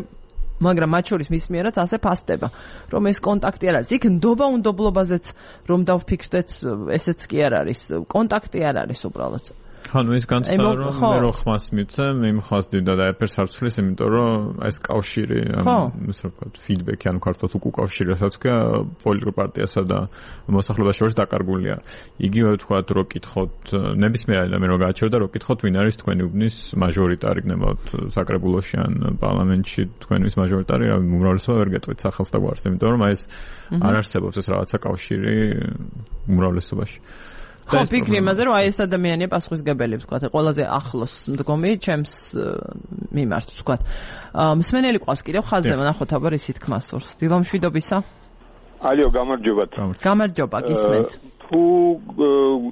მაგრამ მათ შორის მის მიერაც ასე ფასდება, რომ ეს კონტაქტი არ არის. იქ ნდობა უნდობლობაზეც რომ დავფიქრდეთ, ესეც კი არ არის. კონტაქტი არ არის უბრალოდ. ხო, ნუ ის განცდა რომ მე რო ხმას მიცემ, იმ ხმას დიდა და ეფერს არ ცვლის, იმიტომ რომ ეს კავშირი, ანუ ისე ვთქვათ, ფიდბექი, ანუ ქართულად უკავშირი, რასაც ქვია, პოლიტიკურ პარტიასა და მოსახლეობას შორის დაკარგულია. იგივე ვთქვათ, რო კითხოთ, ნებისმიერ ადამიანი რო გააჩერდა, რო კითხოთ, ვინ არის თქვენი უბნის მაჟორიტარი, გნებავთ საკრებულოში ან პარლამენტში თქვენთვის მაჟორიტარი, რა უმრავლესობა ვერ გეტყვით სახელს და გვარს, იმიტომ რომ აი ეს არ არსებობს ეს რაღაცა კავშირი უმრავლესობაში. ხო, ფიქრი იმაზე, რომ აი ეს ადამიანია პასუხისგებელი, ვთქვათ, ყველაზე ახლოს მდგომი ჩემს მიმართ, ვთქვათ. მსმენელი ყავს კიდევ ხაზზე, ნახოთ აბა რისი თქმა სურს. დილამშვიდობისა. ალიო, გამარჯობათ. გამარჯობა, გისმენთ. თუ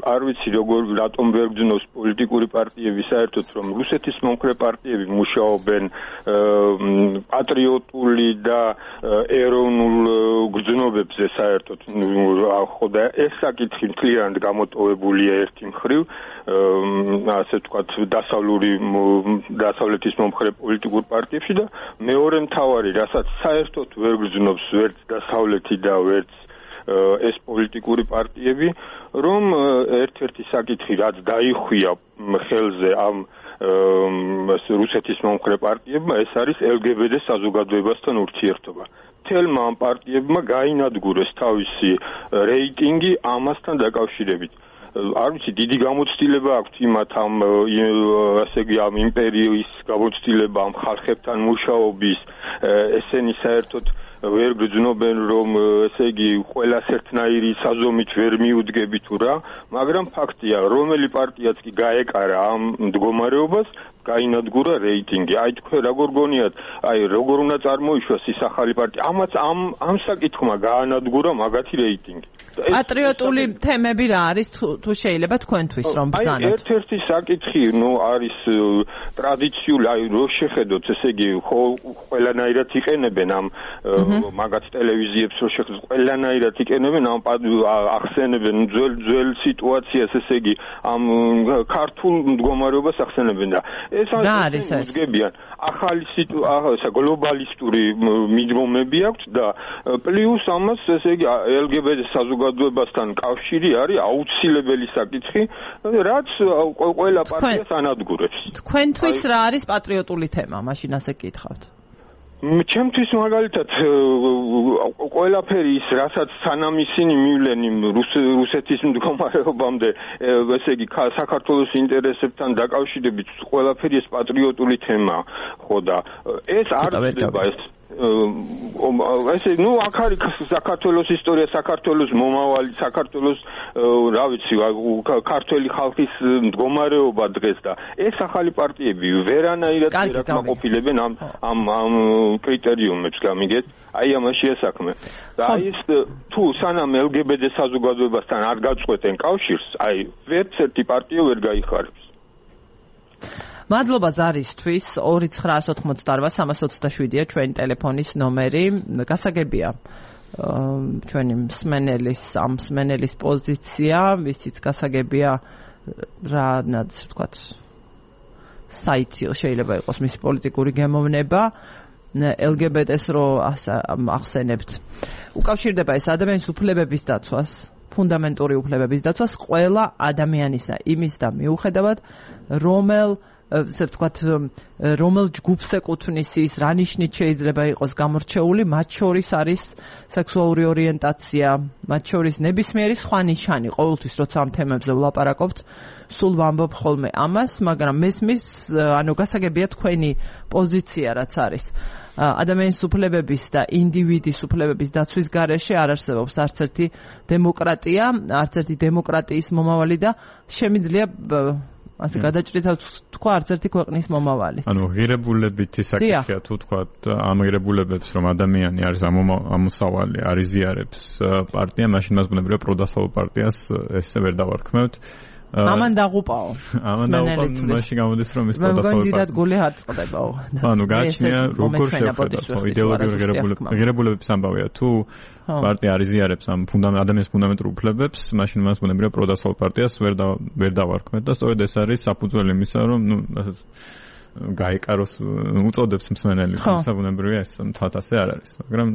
არ ვიცი როგორ რატომ ვერ გძნობს პოლიტიკური პარტიები საერთოდ, რომ რუსეთის მომხრე პარტიები მუშაობენ პატრიოტული და ეროვნულ გრძნობებზე საერთოდ, ხო და ეს საკითხი მთლიანად გამოტოვებულია ერთი მხრივ, ასე ვთქვათ, დასავლური დასავლეთის მომხრე პოლიტიკურ პარტიებში და მეორე მთავარი, რასაც საერთოდ ვერ გრძნობს ვერც დასავლეთი და ვერც ეს პოლიტიკური პარტიები, რომ ერთ-ერთი საკითხი, რაც დაიხვია ხელზე ამ რუსეთის მომხრე პარტიებმა ეს არის ელ გი ბი დე საზოგადოებასთან ურთიერთობა. თელმა ამ პარტიებმა გაინადგურეს თავისი რეიტინგი ამასთან დაკავშირებით. არ ვიცი, დიდი გამოცდილება აქვს იმათ ამ ასე იგი ამ იმპერიის გამოცდილება ამ ხალხებთან მუშაობის, ესენი საერთოდ ვერ გძნობენ რომ ესე იგი ყველას ერთნაირი საზომით ვერ მიუდგები თუ რა, მაგრამ ფაქტია, რომელი პარტიაც კი გაეკარა ამ მდგომარეობას, გაინადგურა რეიტინგი. აი თქვენ როგორ გონიათ, აი როგორ უნდა წარმოიშვას ის ახალი პარტია? ამაც ამ ამ საკითხმა გაანადგურა მაგათი რეიტინგი. პატრიოტული თემები რა არის თუ შეიძლება თქვენთვის რომ ბრძანოთ? აი ერთ-ერთი საკითხი, ნუ არის ტრადიციული, აი რო შეხედოთ, ესე იგი ყველანაირად იყენებენ ამ მაგათ ტელევიზიებს რო შეხედოთ, ყველანაირად იყენებენ ამ ახსენებენ ძველ ძველ სიტუაციას, ესე იგი ამ ქართულ მდგომარეობას ახსენებენ და ეს არის უძგებიან ახალი სიტუაცია, გლობალისტური მიდგომები აქვს და პლუს ამას ესე იგი ელ გი ბი დე საზოგადოებასთან კავშირი არის აუცილებელი საკითხი, რაც ყველა პარტიას ანადგურებს. თქვენთვის რა არის პატრიოტული თემა? მაშინ ასე გკითხავთ. ჩემთვის მაგალითად ყველაფერი ის, რასაც სანამ ისინი მივლენ იმ რუსეთის მდგომარეობამდე, ესე იგი საქართველოს ინტერესებთან დაკავშირებით, ყველაფერი ეს პატრიოტული თემაა, ხო და ეს არ ხდება ეს ესე ნუ აქ არის საქართველოს ისტორია, საქართველოს მომავალი, საქართველოს რა ვიცი, ქართველი ხალხის მდგომარეობა დღეს და ეს ახალი პარტიები ვერანაირად ვერ აკმაყოფილებენ ამ ამ ამ კრიტერიუმებს, გამიგეთ? აი ამაშია საქმე. და აი ეს თუ სანამ ელ გი ბი დე საზოგადოებასთან არ გაწყვეტენ კავშირს, აი ვერც ერთი პარტია ვერ გაიხარებს. მადლობა ზარისთვის. ორი ცხრა ოთხმოცდაოთხ სამას ოცდაშვიდია ჩვენი ტელეფონის ნომერი. გასაგებია ჩვენი მსმენელის ამ მსმენელის პოზიცია, ვისიც გასაგებია რანაც ვთქვათ საიტი შეიძლება იყოს მისი პოლიტიკური გემოვნება. ელ გი ბი დე-ს რო ახსენებთ. უკავშირდება ეს ადამიანის უფლებების დაცვას, ფუნდამენტური უფლებების დაცვას ყველა ადამიანისა იმის და მიუხედავად რომელ ესე ვთქვათ, რომელ ჯგუფს ეკუთვნის ის, რა ნიშნით შეიძლება იყოს გამორჩეული, მათ შორის არის სექსუალური ორიენტაცია, მათ შორის ნებისმიერი სხვა ნიშანი. ყოველთვის როცა ამ თემებზე ვლაპარაკობთ, სულ ვამბობ ხოლმე ამას, მაგრამ მესმის, ანუ გასაგებია თქვენი პოზიცია რაც არის. ადამიანის უფლებების და ინდივიდის უფლებების დაცვის გარეშე არ არსებობს არც ერთი დემოკრატია, არც ერთი დემოკრატიის მომავალი და შემიძლია ასე გადაჭრითად თქვა არც ერთი ქვეყნის მომავალი. ანუ ღირებულებითი საკითხია თუ თქვა ამ ღირებულებებს რომ ადამიანი არის ამოსავალი, არის ზიარებს პარტია, მაშინ მას ბუნებრივია პროდასავლურ პარტიას ესე ვერ დავარქმევთ. ამან დაღუპაო. ამან დაღუპაო, მაშინ გამოდის რომ ის პროდასავლურ პარტია. მე მგონი გული არ წყდებაო. ანუ გაჩნია როგორ შევხედოთ იდეოლოგიური ღირებულებების ამბავია თუ პარტია არის ზიარებს ამ ადამიანის ფუნდამენტურ უფლებებს, მაშინ მას ბუნებრივია პროდასავლურ პარტიას ვერ ვერ დავარქმევთ და სწორედ ეს არის საფუძველი იმისა, რომ ნუ ასეც გაიკაროს უწოდებს მსმენელი, თუმცა ბუნებრივია ეს მთლად ასე არ არის, მაგრამ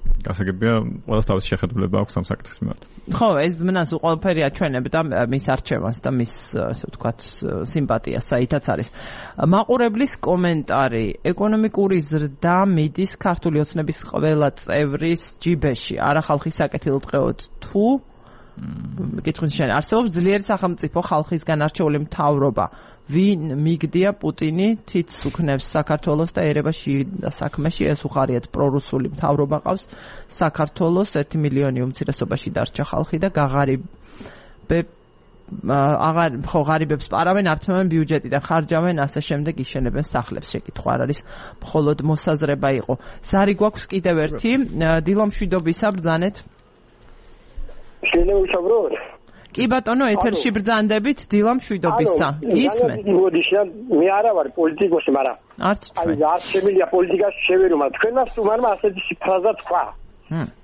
გასაგებია ყველას თავისი შეხედულება აქვს ამ საკითხის მიმართ. ხო, ეს მნას ყველაფერი აჩვენებდა მის არჩევანს და მის ასე ვთქვათ სიმპათიას, საითაც არის. მაყურებლის კომენტარი: ეკონომიკური ზრდა მიდის ქართული ოცნების ყველა წევრის ჯიბეში. არა ხალხის საკეთილდღეოდ თუ კითხვის შენ არსებობს ძლიერი სახელმწიფო ხალხისგან არჩეული მთავრობა. ვინ მიგდია პუტინი თითს უქნევს საქართველოს და ერევაში და საქმეში ეს უხარიათ პრორუსული მთავრობა ყავს საქართველოს ერთი მილიონი უმცირესობაში დარჩა ხალხი და გაღარიბებ აღარ ხო ღარიბებს პარავენ, ართმევენ ბიუჯეტიდან, ხარჯავენ, ასე შემდეგ იშენებენ სახლებს. შეკითხვა არ არის, მხოლოდ მოსაზრება იყო. ზარი გვაქვს კიდევ ერთი, დილომშვიდობისა ბრძანეთ. შეიძლება ვისაუბროთ? კი ბატონო, ეთერში ბრძანდებით დილომშვიდობისა. ისმენ. მე არა ვარ პოლიტიკოსი, მაგრამ არც აი არ შემიძლია პოლიტიკაში შევერო, მაგრამ თქვენას თუმარმა ასეთი ფრაზა თქვა.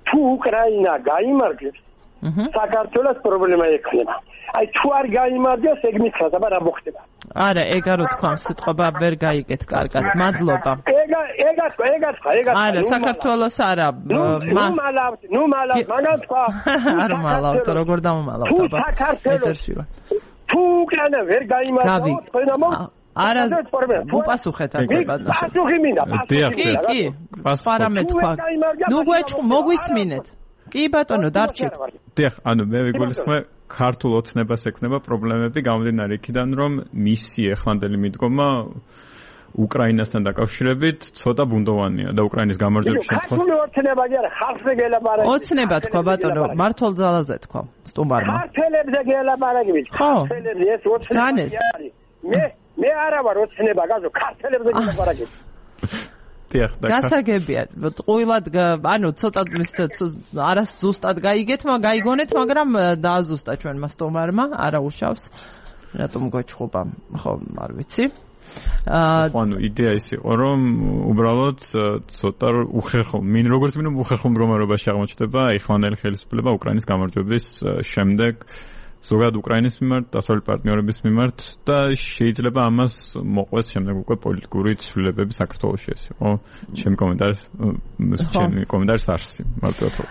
თუ უკრაინა გაიმარჯვებს, საქართველოს პრობლემა ექნება. აი თუ არ გაიმარჯვებს, ეგ მითხრა, რა მოხდება? არა, ეგ არ თქვა, სიტყვა ვერ გაიგეთ კარგად. მადლობა. ეგა ეგა თქვა, ეგა თქვა, ეგა თქვა. არა, საქართველოს არა. ნუ მალავთ, ნუ მალავთ, მაგან თქვა. არ მალავთ, როგორ დამომალავთ, აბა. თუ საქართველოს თუ უკრაინა ვერ გაიმარჯვებს, თქვენ ამო არა უპასუხეთ აქ ბატონო პასუხი მინდა კი კი პარამე თქვა ნუ გვეჭ მოგვისმინეთ კი ბატონო დარჩეთ დიახ ანუ მე ვიგულისხმე ქართულ ოცნებას ექნება პრობლემები გამომდინარე იქიდან რომ მისი ეხლანდელი მიდგომა უკრაინასთან დაკავშირებით ცოტა ბუნდოვანია და უკრაინის გამარჯვების შემთხვევაში ქართული ოცნება კი არა ხალხზე გელაპარაკი ოცნება თქვა ბატონო მართლ ძალაზე თქვა სტუმარმა ქართველებზე გელაპარაკი ქართველებზე ეს ოცნება არის მე მე არა ვარ ოცნება გაზო ქართველებზე გელაპარაკი დიახ და გასაგებია ყვილად ანუ ცოტა არას ზუსტად გაიგეთ მაგრამ გაიგონეთ მაგრამ დააზუსტა ჩვენმა სტუმარმა არა უშავს რატომ გვეჩხუბა ხო არ ვიცი ანუ იდეა ის იყო რომ უბრალოდ ცოტა უხერხო მინ როგორც მინიმუმ უხერხო მდგომარეობაში აღმოჩნდება ეხლანდელი ხელისუფლება უკრაინის გამარჯვების შემდეგ ზოგადად უკრაინის მიმართ, დასავლელი პარტნიორების მიმართ და შეიძლება ამას მოყვეს შემდეგ უკვე პოლიტიკური ცვლილებები საქართველოში ეს იყო ჩემი კომენტარი ჩემი კომენტარის არსი მარტივად ვთქვი.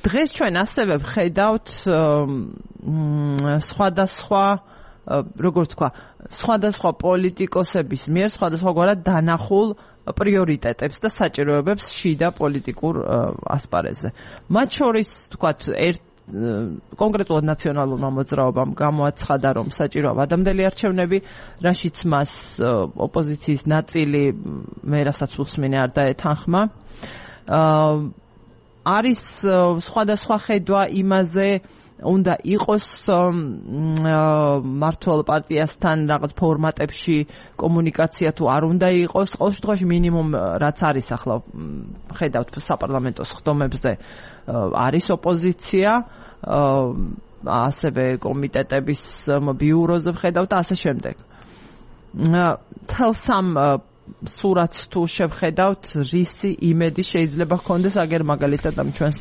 დღეს ჩვენ ასევე ვხედავთ სხვადასხვა როგორ თქვა სხვადასხვა პოლიტიკოსების მიერ სხვადასხვაგვარად დანახულ პრიორიტეტებს და საჭიროებებს შიდა პოლიტიკურ ასპარეზზე. მათ შორის თქვათ ერთ კონკრეტულად ნაციონალურმა მოძრაობამ გამოაცხადა რომ საჭიროა ვადამდელი არჩევნები, რაშიც მას ოპოზიციის ნაწილი მე რასაც უსმინე არ დაეთანხმა. არის სხვადასხვა ხედვა იმაზე უნდა იყოს მართლ პარტიასთან რაღაც ფორმატებში კომუნიკაცია თუ არ უნდა იყოს. ყოველ შემთხვევაში მინიმუმ რაც არის ახლა ხედავთ საპარლამენტო სხდომებზე არის ოპოზიცია, ასევე კომიტეტების ბიუროზე ვხედავთ და ასე შემდეგ. თელსამ სურათს თუ შევხედავთ, რისი იმედი შეიძლება ჰქონდეს აგერ მაგალითად ამ ჩვენს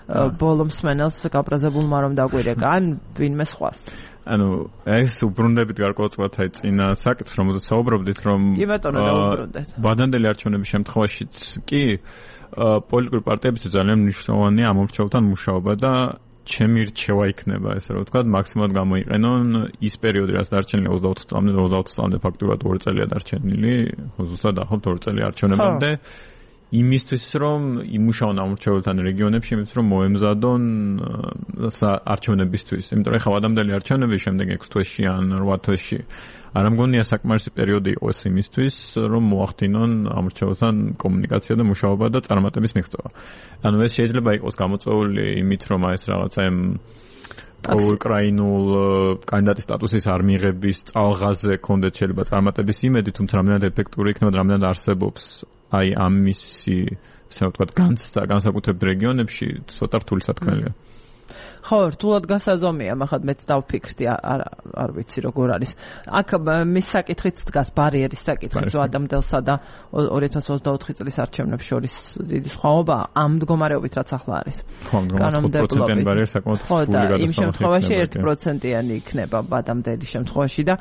ბოლო მსმენელს გაბრაზებულმა რომ დაგვირეკა ან ვინმე სხვას. ანუ ეს უბრუნდებით გარკვეულწილად აი წინა საკითხს რომელზეც საუბრობდით რომ კი ბატონო დაუბრუნდეთ. ვადამდელი არჩევნების შემთხვევაშიც კი პოლიტიკური პარტიებისთვის ძალიან მნიშვნელოვანია ამომრჩეველთან მუშაობა და ჩემი რჩევა იქნება ესე რომ ვთქვათ მაქსიმალურად გამოიყენონ ის პერიოდი რაც დარჩენილია ოცდაოთხ წლამდე და ოცდაოთხ წლამდე ფაქტურად ორი წელია დარჩენილი ზუსტად ახლობთ ორი წელი არჩევნებამდე იმისთვის რომ იმუშაონ ამორჩეველთან რეგიონებში იმისთვის რომ მოემზადონ არჩევნებისთვის იმიტომ რომ ხა ვადამდელი არჩევნების შემდეგ ექვს თვეში ან რვა თვეში არ მგონია საკმარისი პერიოდი იყოს იმისთვის რომ მოახდინონ ამორჩეველთან კომუნიკაცია და მუშაობა და წარმატების მიღწევა ანუ ეს შეიძლება იყოს გამოწვეული იმით რომ აი ეს რაღაცა ამ უკრაინულ კანდიდატის სტატუსის არ მიღების წალღაზე კონდეთ შეიძლება წარმატების იმედი თუმცა რამდენად ეფექტური იქნება და რამდენად არსებობს აი ამისი ასე ვთქვათ განცდა განსაკუთრებულ რეგიონებში ცოტა რთული სათქმელია. ხო, რთულად გასაზომია, მაგრამ მეც დავფიქრდი, არ არ ვიცი როგორ არის. აქ მის საკითხიც დგას ბარიერის საკითხიც ადამიანსა და ორი ათას ოცდაოთხი წლის არჩევნებს შორის დიდი სხვაობა ამ მდგომარეობით რაც ახლა არის. ხო, პროცენტიანი ბარიერი საკმაოდ რთული გადასახადი. იმ შემთხვევაში ერთი პროცენტიანი იქნება ბადამდელი შემთხვევაში და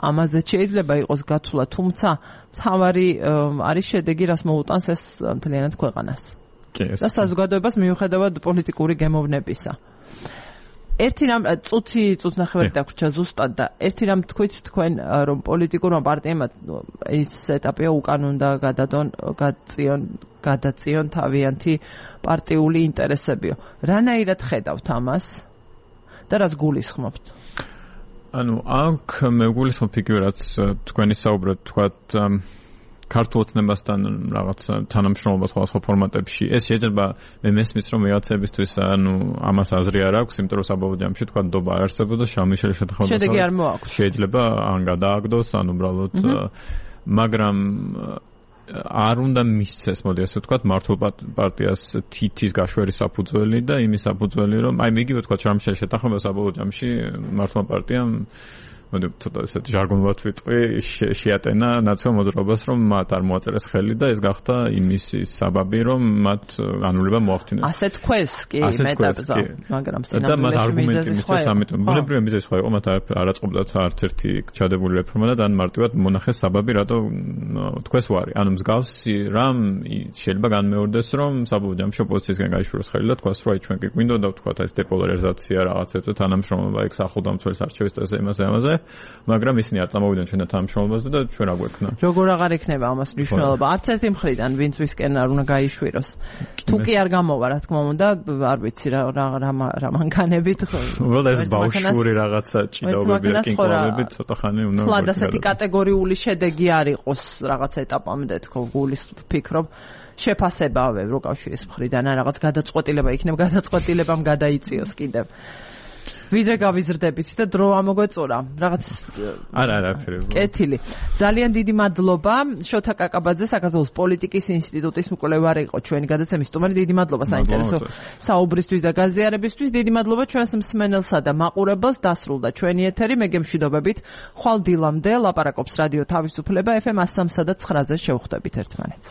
ამაზე შეიძლება იყოს გათვლა, თუმცა თავარი არის შედეგი, რას მოუტანს ეს მთლიანად ქვეყანას. და საზოგადოებას მიუხედავად პოლიტიკური გემოვნებისა. ერთი რამ წუთი წუთნახევარი დაგვრჩა ზუსტად და ერთი რამ თქვით თქვენ რომ პოლიტიკურმა პარტიებმა ის ეტაპია უკან უნდა გადადონ გაწიონ გადაწიონ თავიანთი პარტიული ინტერესებიო. რანაირად ხედავთ ამას და რას გულისხმობთ? ანუ აქ მე გულისხმობ ფიგურაც თქვენი საუბრად თქვათ ქართულ ოცნებასთან რაღაც თანამშრომლობა სხვადასხვა ფორმატებში ეს შეიძლება მე მესმის რომ ვიღაცებისთვის ანუ ამას აზრი არ აქვს იმიტომ რომ საბოლოო ჯამში თქვა ნდობა არ არსებობს და შამიშელის შეთანხმება შედეგი არ მოაქვს შეიძლება ან გადააგდოს ან უბრალოდ მაგრამ არ უნდა მისცეს მოდი ასე ვთქვათ მართულ პარტიას თითის გაშვერის საფუძველი და იმის საფუძველი რომ აი მიგივე ვთქვათ შამიშელის შეთანხმება საბოლოო ჯამში მართლმა პარტიამ მოდი ცოტა ესეთ ჟარგონულად ვიტყვი შეატენა ნაციონალურ მოძრაობას რომ მათ არ მოაწერეს ხელი და ეს გახდა იმის საბაბი რომ მათ განულება მოახდინეს. ასე თქვეს კი მეტაბზა მაგრამ და მათ არგუმენტი მისცეს ამიტომ ბუნებრივია მიზეზი სხვა იყო მათ არ აწყობდათ არც ერთი ჩადებული რეფორმა და დან მარტივად მონახეს საბაბი რატო თქვეს ვარი. ანუ მსგავსი რამ შეიძლება განმეორდეს რომ საბოლოო ჯამში ოპოზიციისგან გაიშვიროს ხელი და თქვას რომ აი ჩვენ კი გვინდოდა ვთქვათ ეს დეპოლარიზაცია რაღაცა თანამშრომლობა ეგ სახელმწიფოს არჩევის წესზე იმაზე ამაზე მაგრამ ისინი არ წამოვიდნენ ჩვენთან თანამშრომლობაზე და ჩვენ რა გვექნა. როგორ აღარ იქნება ამას მნიშვნელობა? არც ერთი მხრიდან ვინც ვისკენ არ უნდა გაიშვიროს. თუ კი არ გამოვა, რა თქმა უნდა, არ ვიცი რა რა რა მანქანებით ხო. უბრალოდ ეს ბავშვური რაღაცა ჭიდაობები და კინკოები ცოტა ხანი უნდა. თლად ასეთი კატეგორიული შედეგი არ იყოს რაღაცა ეტაპამდე თქო გულის ფიქრობ. შეფასებავე როკავშირის მხრიდან ან რაღაც გადაწყვეტილება იქნება, გადაწყვეტილებამ გადაიწიოს კიდევ. ვიდრე გავიზრდებით და დრო ამოგვეწურა რაღაც არა არა ფერებო კეთილი ძალიან დიდი მადლობა შოთა კაკაბაძე საქართველოს პოლიტიკის ინსტიტუტის მკვლევარი იყო ჩვენი გადაცემის სტუმარი დიდი მადლობა საინტერესო საუბრისთვის და გაზიარებისთვის დიდი მადლობა ჩვენს მსმენელსა და მაყურებელს დასრულდა ჩვენი ეთერი მე გემშვიდობებით ხვალ დილამდე ლაპარაკობს რადიო თავისუფლება ეფ ემ one oh three და nine-ზე შევხვდებით ერთმანეთს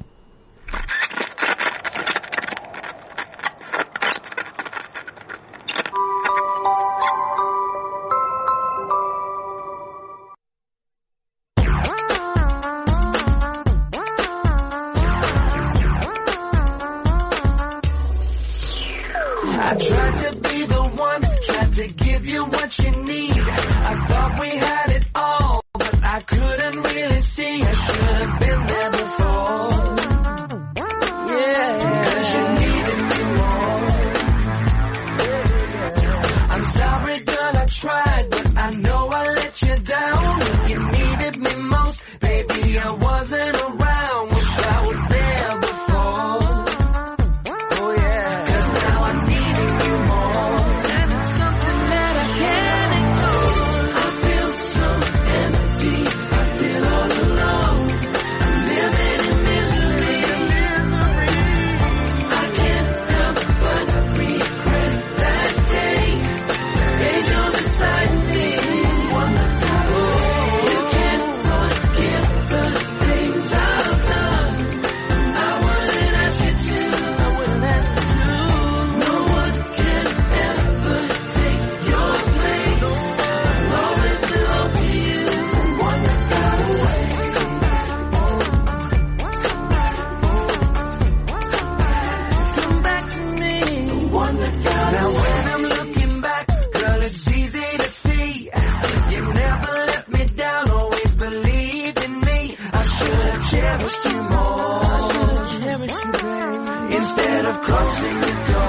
I tried to be the one, tried to give you what you need. I thought we had it all, but I couldn't really see. I should have been there before. Yeah, because you needed me more. I'm sorry, girl, I tried, but I know I let you down. When you needed me most, baby, I wasn't around. Wish I was there before. Instead of closing the door